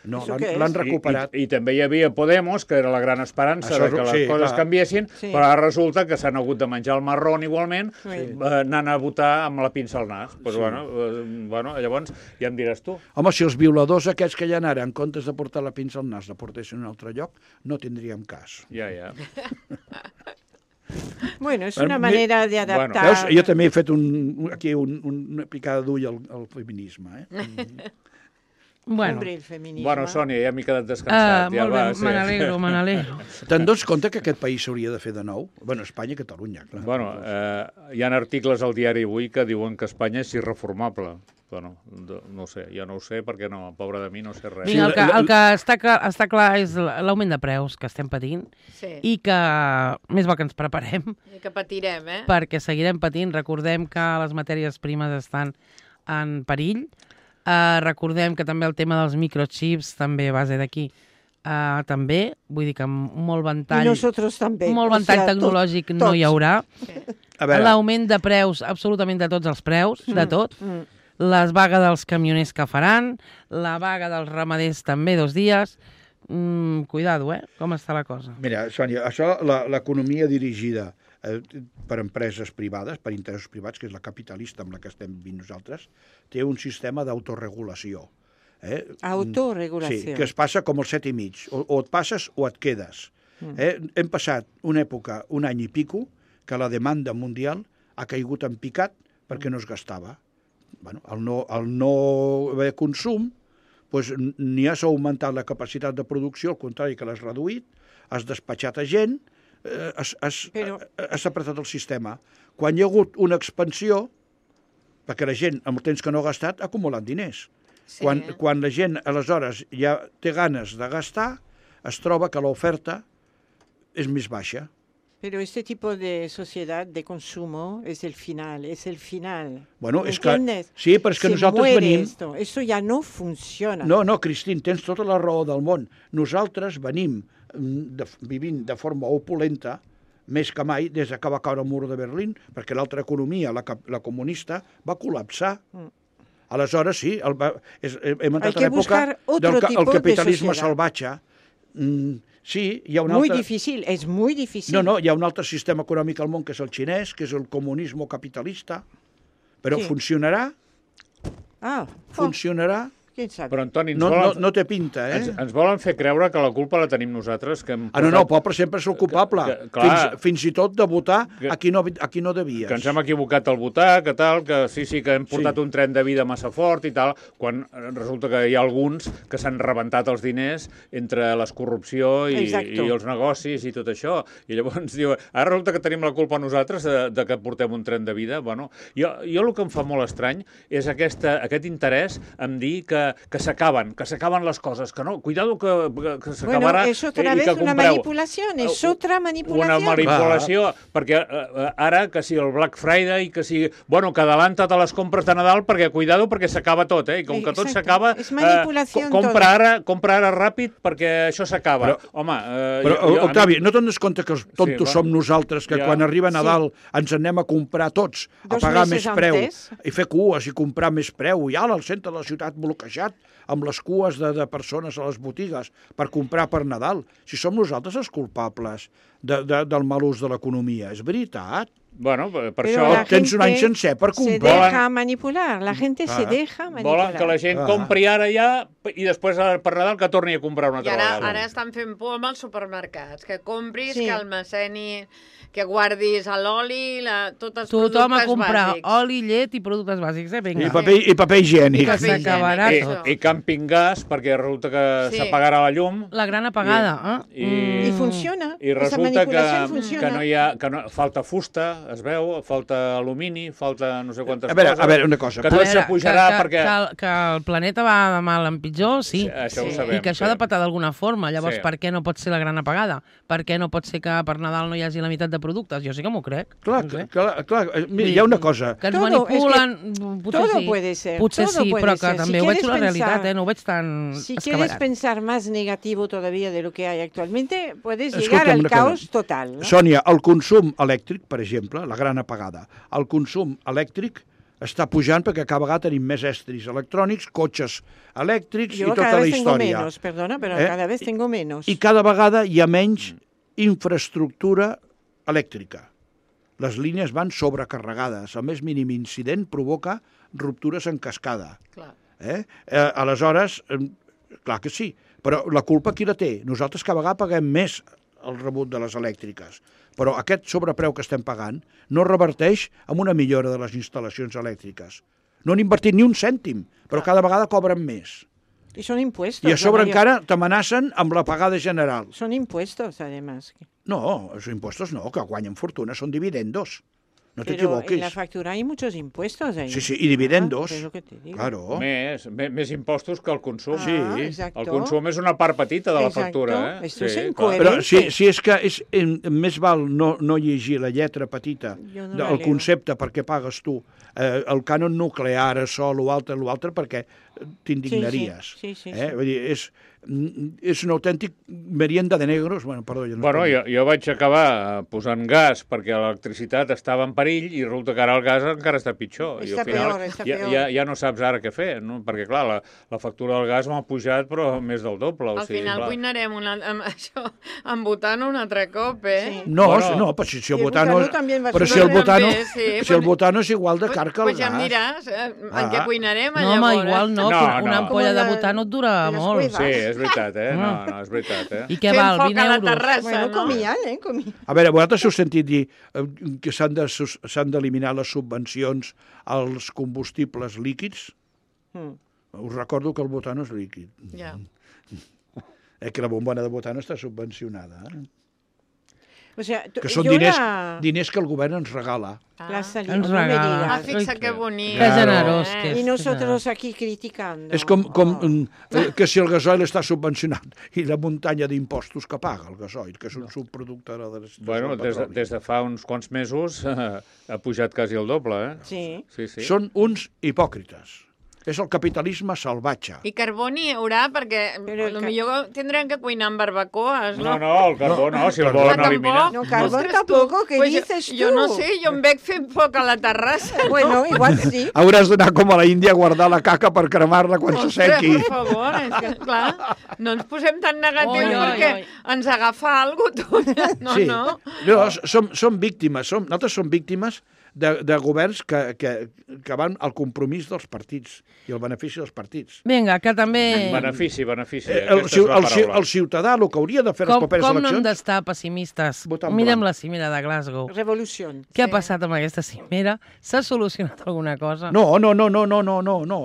No, Això què és? l'han recuperat. I també hi havia Podemos, que era la gran esperança Això de que les coses canviessin, Sí. però ara resulta que s'han hagut de menjar el marrón igualment, Sí. anant a votar amb la pinça al nas. Pues, bueno, llavors ja em diràs tu. Home, si els violadors aquests que hi ha ara, en comptes de portar la pinça al nas, la portessin a un altre lloc, no tindríem cas. Ja. Bueno, es una manera de adaptar. Veus? Jo també he fet aquí una picada d'ull al feminisme. Bueno, Hombre, el feminisme. Bueno, Sònia, ja m'he quedat descansat. molt bé, me n'alegro. Te'n dones compte que aquest país s'hauria de fer de nou? Bueno, Espanya i Catalunya, clar. Bueno, hi ha articles al diari avui que diuen que Espanya és irreformable. Bueno, no ho sé, jo no ho sé perquè no, pobre de mi, no sé res. Vinga, el que està clar és l'augment de preus que estem patint i que més val que ens preparem I que patirem, perquè seguirem patint. Recordem que les matèries primes estan en perill. Recordem que també el tema dels microchips també a base d'aquí també, vull dir que amb molt ventall, I nosaltres també. molt ventall tecnològic no hi haurà. L'augment de preus, absolutament de tots els preus, de tot. Les vagues dels camioners que faran, la vaga dels ramaders també 2 dies. Cuidado, com està la cosa. Mira, Sònia, això, l'economia dirigida per empreses privades, per interessos privats, que és la capitalista amb la que estem vivint nosaltres, té un sistema d'autoregulació. Autoregulació. Sí, que es passa com el 7 i mig. O et passes o et quedes. Hem passat una època, un any i pico, que la demanda mundial ha caigut en picat perquè no es gastava. Bueno, al no haver consum, doncs, ni has augmentat la capacitat de producció, al contrari que l'has reduït, has despatxat a gent, has apretat el sistema. Quan hi ha hagut una expansió, perquè la gent, amb el temps que no ha gastat, ha acumulat diners. Sí. Quan la gent, aleshores, ja té ganes de gastar, es troba que l'oferta és més baixa. Pero este tipo de sociedad de consumo es el final. Bueno, és que, ¿Entiendes? sí, però és que Se nosaltres muere venim... Esto ya no funciona. No, Cristín, tens tota la raó del món. Nosaltres venim vivint de forma opulenta, més que mai, des que va caure el mur de Berlín, perquè l'altra economia, la comunista, va col·lapsar. Aleshores, sí, hem entrat a l'època del capitalisme salvatge. Sí, hi ha un altre... Muy difícil, es muy difícil. No, hi ha un altre sistema econòmic al món, que és el xinès, que és el comunisme capitalista, però Sí. funcionarà? Funcionarà? ¿Quién sabe? Però, Antoni, No té pinta, ens volen fer creure que la culpa la tenim nosaltres. Que no, el poble sempre és el culpable. Fins i tot de votar a qui no devies. Que ens hem equivocat al votar, que tal, que sí, que hem portat un tren de vida massa fort i tal, quan resulta que hi ha alguns que s'han rebentat els diners entre la corrupció i els negocis i tot això. I llavors diu, ara resulta que tenim la culpa nosaltres de que portem un tren de vida. Bueno, jo el que em fa molt estrany és aquest interès en dir que s'acaben les coses, que no, cuidado que s'acabarà es otra vez una manipulación, es otra manipulación. Una manipulació, perquè ara que si el Black Friday, que si, bueno, que adelanta't a les compres de Nadal perquè cuidado perquè s'acaba tot, i com que tot s'acaba, compra ara ràpid perquè això s'acaba. Home... Però, Octavi, no te'n compte que els tontos som nosaltres, que quan arriba Nadal ens anem a comprar tots, a pagar més preu, i fer cues i comprar més preu, i al centre de la ciutat bloquejat, amb les cues de persones a les botigues per comprar per Nadal. Si som nosaltres els culpables del mal ús de l'economia, és veritat. Bueno, per Pero això... Tens un any sencer per Se comprar. deja manipular, la gente se deja manipular. Volen que la gent compri ara ja i després per Nadal que torni a comprar una I altra vegada. ara estan fent por amb els supermercats, que compris, que almaceni, que guardis l'oli, tots els Tothom a productes comprar bàsics. oli, llet i productes bàsics, vinga. I paper higiènic. Que s'acabarà tot. I camping gas, perquè resulta que s'apagarà la llum. La gran apagada. I funciona. I Esa resulta manipulación funciona. que falta fusta, es veu, falta alumini, falta no sé quantes coses. A veure, una cosa. Que tot s'apujarà perquè... Que el planeta va de mal en pitjor, sí. Això ho sabem. I que això ha de patar d'alguna forma. Llavors, per què no pot ser la gran apagada? Per què no pot ser que per Nadal no hi hagi la meitat de productes? Jo sí que m'ho crec. Clar, mira, hi ha una cosa. Que ens manipulen, potser todo sí. puede ser. Potser todo sí, puede però que ser. també Si ho veig quieres la realitat, pensar- no ho veig tan Si quieres escabarat. pensar más negativo todavía de lo que hay actualmente, puedes Escolta'm llegar al una caos cosa. total. ¿no? Sònia, el consum elèctric, per exemple, la gran apagada, el consum elèctric està pujant perquè cada vegada tenim més estris electrònics, cotxes elèctrics Yo i tota cada la vez tengo història. menos, perdona, pero Eh? cada vez tengo menos. I cada vegada hi ha menys infraestructura elèctrica. Les línies van sobrecarregades. El més mínim incident provoca ruptures en cascada. Clar. Aleshores, clar que sí, però la culpa qui la té? Nosaltres cada vegada paguem més el rebut de les elèctriques, però aquest sobrepreu que estem pagant no reverteix en una millora de les instal·lacions elèctriques. No han invertit ni un cèntim, però cada vegada cobren més. Y son impuestos. I a sobre la mayor- encara t'amenacen amb la pagada general. Son impuestos, además. No, els impostos no, que guanyen fortuna, són dividendos. No Pero t'equivoquis. en la factura hay muchos impuestos ahí. Sí, sí, i dividendos. Es lo que te digo. Claro. Més impostos que el consum. Ah, Sí. exacto. El consum és una part petita de la Exacto. factura. Esto es clar. incoherente. Però si és que més val no llegir la lletra petita Jo no la del leo. concepte perquè pagues tu el cànon nuclear, sol, l'altre, perquè t'indignaries. Sí. Vull dir, és un autèntic merienda de negros. Bueno, perdó, ja no Bueno, estic- jo vaig acabar posant gas perquè l'electricitat estava en perill i resulta que ara el gas encara està pitjor. I Està al final peor, està peor. ja no saps ara què fer, no? Perquè, clar, la factura del gas m'ha pujat, però més del doble. Al final clar. cuinarem amb butano un altre cop, eh? No, Bueno, no, però si el y el butano... butano también va a Però ser si el una butano, també, sí, si el pues- butano és igual de car que el Pues ja em gas. diràs en què cuinarem, No, home, llavors. igual no, No, una no. ampolla Com de la- butano et dura de les molt. cuevas. Sí, és veritat, No, és veritat, I què Fent val, foc 20 a la euros? terrassa, Bueno, no? comían, comían. A veure, vosaltres heu sentit dir que s'han d'eliminar les subvencions als combustibles líquids? Us recordo que el butano és líquid. Ja. Que la bombona de butano està subvencionada. O sea, Que són yo diners que el govern ens regala. la salida, Ens no me regala. Ah, digas. fixa que bonic. Que generós que és. Y nosotros aquí criticando. És com que si el gasoil està subvencionat i la muntanya d'impostos que paga el gasoil, que és un subproducte de del Bueno, petroli. des de fa uns quants mesos ha pujat quasi el doble, Sí. Sí. Són uns hipòcrites. És el capitalisme salvatge. I carboni hi haurà, perquè Però potser tindrem que cuinar amb barbacoes, no? No, el carbó no, si el carbó volen tampoc? eliminar. No, carbón Ostres, tampoco, ¿qué Pues dices tú? Jo no sé, jo em veig fent foc a la terrassa. Bueno, igual sí. Hauràs d'anar com a la Índia a guardar la caca per cremar-la quan s'assequi. Per favor, és que, clar, no ens posem tan negatius Oi, oi, perquè oi. ens agafa alguna cosa, tu. No, Sí. no. Som víctimes, nosaltres som víctimes de governs que van al compromís dels partits i al benefici dels partits. Vinga, que també... Benefici. El Aquesta és la paraula. ciutadà, el que hauria de fer les Com properes no hem eleccions... d'estar pessimistes? Votar en Mirem blanc. la cimera de Glasgow. Revolución. Què ha passat amb aquesta cimera? S'ha solucionat alguna cosa? No,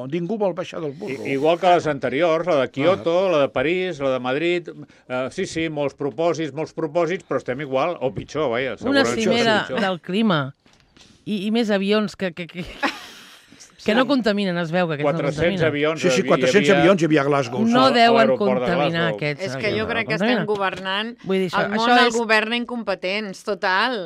ningú vol baixar del burro. Igual que les anteriors, la de Kyoto, la de París, la de Madrid... Sí, molts propòsits, però estem igual, o pitjor, vaja. Una segurament cimera pitjor. del clima i més avions que no contaminen, es veu que aquests no 400 contaminen. avions... Sí, 400 avions hi havia a Glasgow. No a deuen l'aeroport de contaminar Glasgow. aquests És que avions. jo crec que Contaminen. estem governant Vull dir, el món el governa incompetents, total,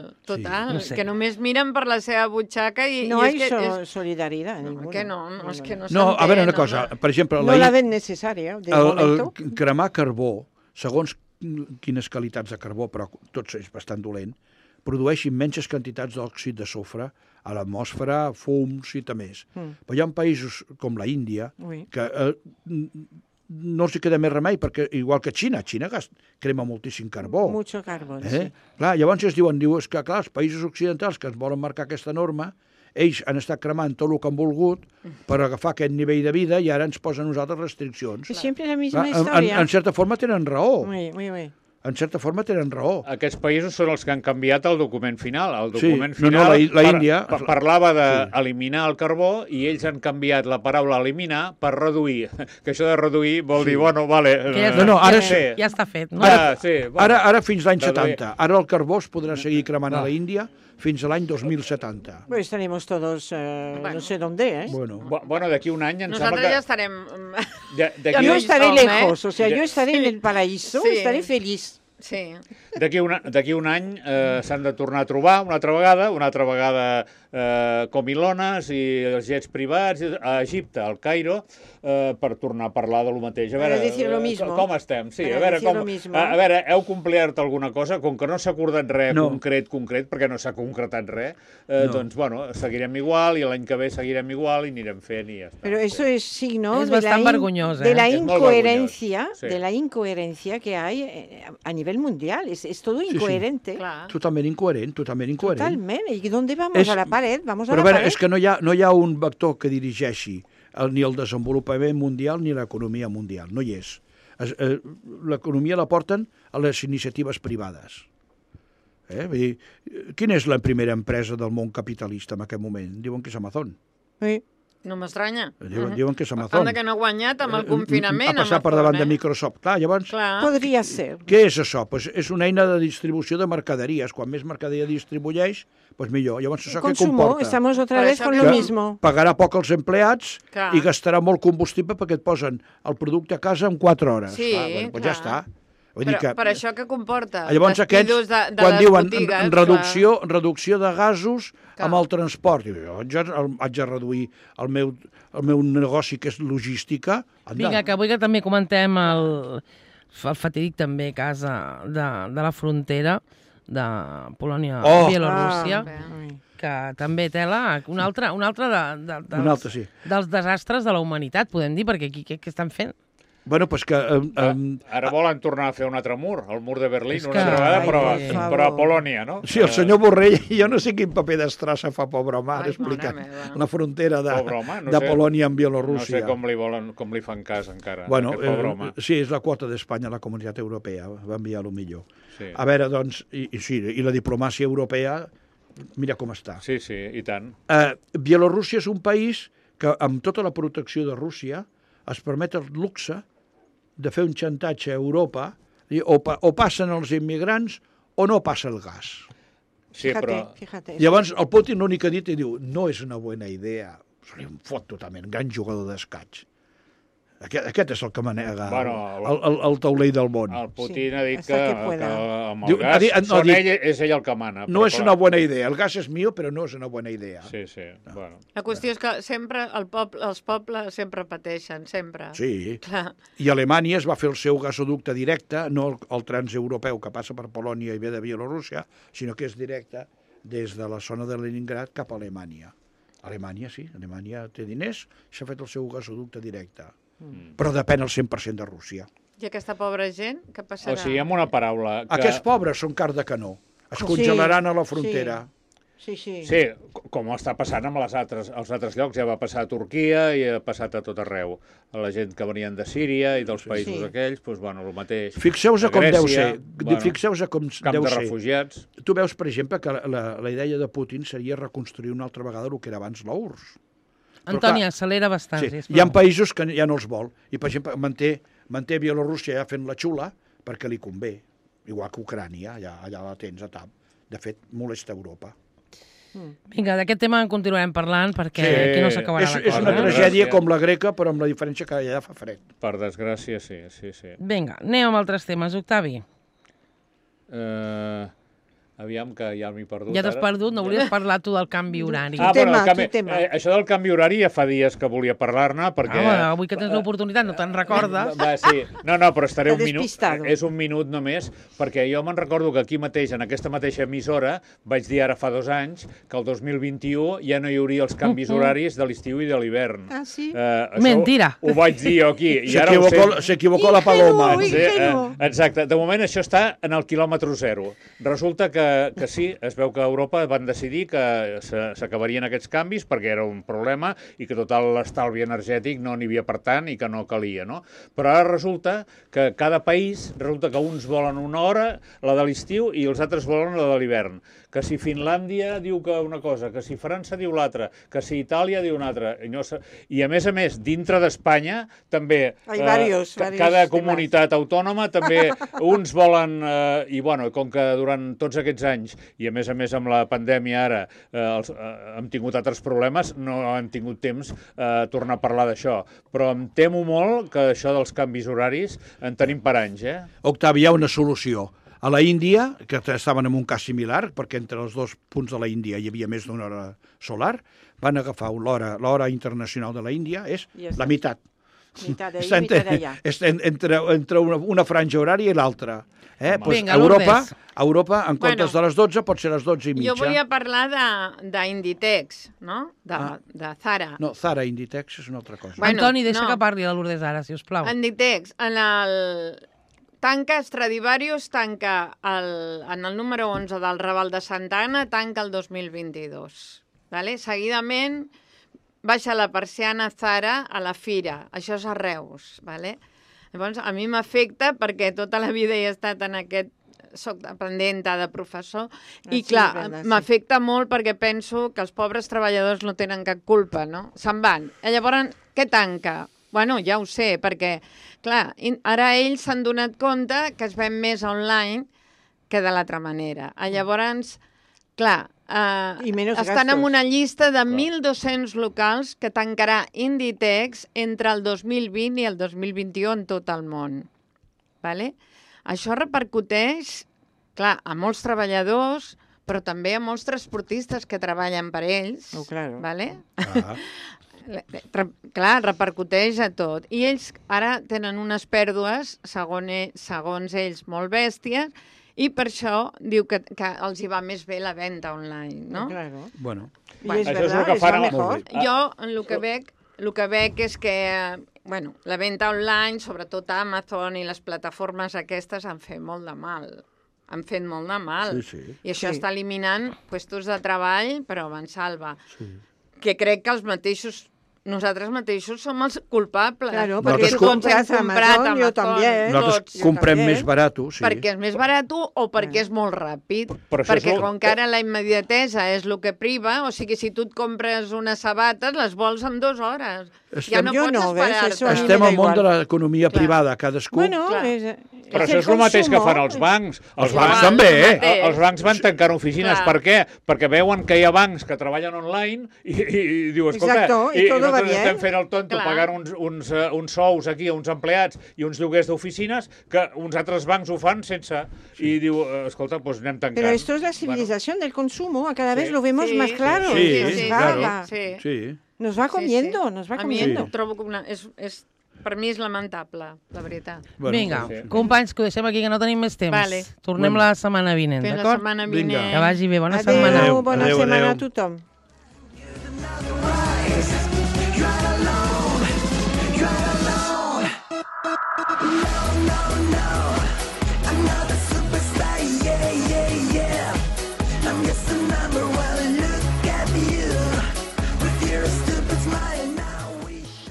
no sé. que només miren per la seva butxaca i No és hay que és... solidaridad ninguna. Que no, és que no No, a veure una s'entén, cosa, home. per exemple, No la ven necesaria, de momento. cremar carbó, segons quines qualitats de carbó, però tot és bastant dolent, produeix immenses quantitats d'òxid de sofre a l'atmosfera, fums i més. Però hi ha països com la Índia Oui. que no els hi queda més remei, perquè igual que Xina crema moltíssim carbó. Mucho carbón, sí. Clar, llavors es diuen, és que clar, els països occidentals que ens volen marcar aquesta norma, ells han estat cremant tot el que han volgut per agafar aquest nivell de vida i ara ens posen a nosaltres restriccions. Es siempre la misma Clar, historia. en certa forma tenen raó. Oui. En certa forma tenen raó. Aquests països són els que han canviat el document final. El Sí, document no, final la Índia... parlava d'eliminar el carbó i ells han canviat la paraula eliminar per reduir. Que això de reduir vol dir, bueno, vale... Que ja, No, ara ja, ja està fet, no? Ara fins l'any Reduir. 70. Ara el carbó es podrà seguir cremant a la Índia fins a l'any 2070. Pues estaremos todos no sé dónde, ¿eh? Bueno, d'aquí un any em sembla Nosaltres que... ja estarem... Yo no estaré som, lejos, o sea, Ya- yo estaré en el paraíso, Sí. estaré feliz. Sí. D'aquí un any s'han de tornar a trobar una altra vegada comilones i els jets privats a Egipte, al Cairo, per tornar a parlar de lo mateix. A veure, com estem? Sí, a veure, heu complert alguna cosa? Com que no s'ha acordat res concret, perquè no s'ha concretat res, doncs, bueno, seguirem igual i l'any que ve seguirem igual i anirem fent i ja està. Pero eso es signo Es bastant vergonyós, de la Es molt vergonyós, incoherencia que hay a nivel mundial. Es todo incoherente. Clar. Totalment incoherent. Totalmente. ¿Y dónde vamos? A la pared. Vamos a Però la a veure, pared. és que no hi ha un vector que dirigeixi ni el desenvolupament mundial ni l'economia mundial. No hi és. L'economia la porten a les iniciatives privades. Vull dir, quina és la primera empresa del món capitalista en aquest moment? Diuen que és Amazon. Sí. No m'estranya. Diuen que és Amazon. Anda que no ha guanyat amb el confinament. Ha passat per davant de Microsoft. Clar, llavors, Podria ser. què és això? Pues és una eina de distribució de mercaderies. Quan més mercaderia distribueix, pues millor. Llavors, això què comporta? Estamos otra vez con lo mismo. Pagarà poc als empleats Clar. i gastarà molt combustible perquè et posen el producte a casa en 4 hores. Sí, pues ja està. Vull dir però per això què comporta? Llavors aquests, de quan les diuen botigues, reducció de gasos amb el transport, jo haig de reduir el meu negoci, que és logística. Vinga, que avui que també comentem el fatídic també cas de la frontera de Polònia-Bielorússia, que també tela un altre sí. dels desastres de la humanitat, podem dir, perquè aquí què estan fent? Bueno, pues que... Ara volen tornar a fer un altre mur, el mur de Berlín, una altra vegada, però a Polònia, no? Sí, el senyor Borrell, jo no sé quin paper d'estrassa fa, pobre home, explicant la frontera de Polònia amb Bielorússia. No sé com li fan cas encara, bueno, aquest pobre home. Sí, és la quota d'Espanya a la Comunitat Europea, va enviar el millor. Sí. A veure, doncs, i la diplomàcia europea, mira com està. Sí, i tant. Bielorússia és un país que, amb tota la protecció de Rússia, es permet el luxe de fer un xantatge a Europa, o passen els immigrants o no passa el gas. Sí, però... Llavors, el Putin l'únic que ha dit i diu, no és una bona idea. Se li fot totalment, gran jugador d'escaig. Aquest és el que manega el taulell del món. El Putin ha dit que amb el gas és ell el que mana. No és una bona idea. El gas és mío, però no és una bona idea. Sí. Bueno. La qüestió és que sempre els pobles sempre pateixen, sempre. Sí. Clar. I Alemanya es va fer el seu gasoducte directe, no el transeuropeu que passa per Polònia i ve de Bielorússia, sinó que és directe des de la zona de Leningrad cap a Alemanya. Alemanya, sí. Alemanya té diners, s'ha fet el seu gasoducte directe. Però depèn al 100% de Rússia. I aquesta pobra gent, què passarà? O sigui, amb una paraula... Aquests pobres són car de canó. Es congelaran a la frontera. Sí. Sí, com està passant amb els altres llocs. Ja va passar a Turquia i ha passat a tot arreu. A la gent que venien de Síria i dels països aquells, doncs, bueno, el mateix. Fixeu-vos com deu ser. Fixeu-vos com camp de refugiats. Tu veus, per exemple, que la idea de Putin seria reconstruir una altra vegada el que era abans l'URSS. Antoni, accelera bastant. Sí. Hi ha països que ja no els vol. I, per exemple, manté Bielorússia ja fent la xula perquè li convé. Igual que Ucrània, allà la tens a tap. De fet, molesta Europa. Vinga, d'aquest tema en continuarem parlant perquè aquí no s'acabarà la cosa. És una tragèdia com la greca, però amb la diferència que allà fa fred. Per desgràcia, sí. Vinga, anem amb altres temes. Octavi. Aviam, que ja m'he perdut. Ja t'has perdut, no volies parlar tu del canvi horari. Això del canvi horari ja fa dies que volia parlar-ne, perquè... avui que tens l'oportunitat no te'n recordes. Sí. No, però estaré un minut. És un minut només, perquè jo me'n recordo que aquí mateix, en aquesta mateixa emissora, vaig dir ara fa 2 anys que el 2021 ja no hi hauria els canvis horaris de l'estiu i de l'hivern. Ah, sí? Mentira. Ho vaig dir jo aquí. S'equivocó la Paloma. Exacte. De moment això està en el quilòmetre zero. Resulta que sí, es veu que a Europa van decidir que s'acabarien aquests canvis perquè era un problema i que tot l'estalvi energètic no n'hi havia per tant i que no calia, no? Però ara resulta que cada país, que uns volen una hora, la de l'estiu, i els altres volen la de l'hivern. Que si Finlàndia diu que una cosa, que si França diu l'altra, que si Itàlia diu una altra. I a més, dintre d'Espanya, també cada comunitat autònoma, també uns volen, i bueno, com que durant tots aquests anys, i a més amb la pandèmia ara hem tingut altres problemes, no hem tingut temps a tornar a parlar d'això. Però em temo molt que això dels canvis horaris en tenim per anys, Octavi, hi ha una solució. A la Índia, que estaven en un cas similar, perquè entre els dos punts de la Índia hi havia més d'una hora solar, van agafar l'hora internacional de la Índia, és Ja està. la meitat. Mitad de ahí, Està mitad de allá. entre una franja horària i l'altra. Home. Pues Vinga, Europa, en comptes de les 12, pot ser les 12 i mitja. Jo volia parlar d'Inditex, no? De Zara. No, Zara Inditex és una altra cosa. Bueno, Antoni, deixa no. que parli la Lourdes ara, si us plau. Inditex, tanca Stradivarius, tanca en el número 11 del Raval de Santa Anna, tanca el 2022. Vale? Seguidament, baixa la persiana Zara a la Fira. Això és a Reus. Vale? Llavors, a mi m'afecta perquè tota la vida he estat en aquest... Soc dependenta de professor i, sí, clar, verdad, sí. m'afecta molt perquè penso que els pobres treballadors no tenen cap culpa, no? Se'n van. I llavors, què tanca? Bueno, ja ho sé, perquè, clar, ara ells s'han donat compte que es ven més online que de l'altra manera. Llavors, clar, I menys estan gastos. en una llista de 1.200 locals que tancarà Inditex entre el 2020 i el 2021 en tot el món. Vale? Això repercuteix, clar, a molts treballadors, però també a molts transportistes que treballen per ells. Oh, claro. Vale? Ah. Clar, repercuteix a tot. I ells ara tenen unes pèrdues, segons ells, molt bèsties, i per això diu que els hi va més bé la venda online, no? Claro. Bueno, Y es Això és verdad, el que es fan va a- mejor. Jo el que veig és que la venda online, sobretot Amazon i les plataformes aquestes, han fet molt de mal. Han fet molt de mal. Sí, sí. I això Sí. està eliminant puestos de treball, però a mansalva. sí. Que crec que nosaltres mateixos som els culpables. Claro, porque perquè tú tots hem compras Amazon, yo también. Nosaltres jo comprem també. més barat, sí. Perquè és més barat o perquè és molt ràpid. Però això Perquè és com que ara la immediatesa és el que priva, o sigui, si tu et compres unes sabates, les vols en 2 hores. Ja no Jo pots no, ves, esperar-te. això a mi Estem me da al món de igual. l'economia Clar. privada, cadascú. Bueno, Clar. Però es això el és el mateix que consumo. fan els bancs. Els bancs també, eh? Els bancs van tancant oficines. Clar. Per què? Perquè veuen que hi ha bancs que treballen online i diu, escolta, Exacto, y todo va nosaltres bien. estem fent el tonto Clar. pagant uns sous aquí a uns empleats i uns lloguers d'oficines que uns altres bancs ho fan sense. I diu, escolta, doncs anem tancant. Pero esto es la civilización del consumo, a cada vez Sí. lo vemos Sí, más claro. sí, nos, sí, va, claro. Sí. Sí. nos va comiendo, Sí. nos va A mi comiendo. trobo que per mi és lamentable, la veritat. Bueno, Vinga, sí. companys, que ho deixem aquí, que no tenim més temps. Vale. Tornem Bueno. la setmana vinent, Fins la d'acord? setmana Vinga. vinent. Que vagi bé, bona Adeu, setmana. Adeu, bona adeu, setmana adeu. a tothom.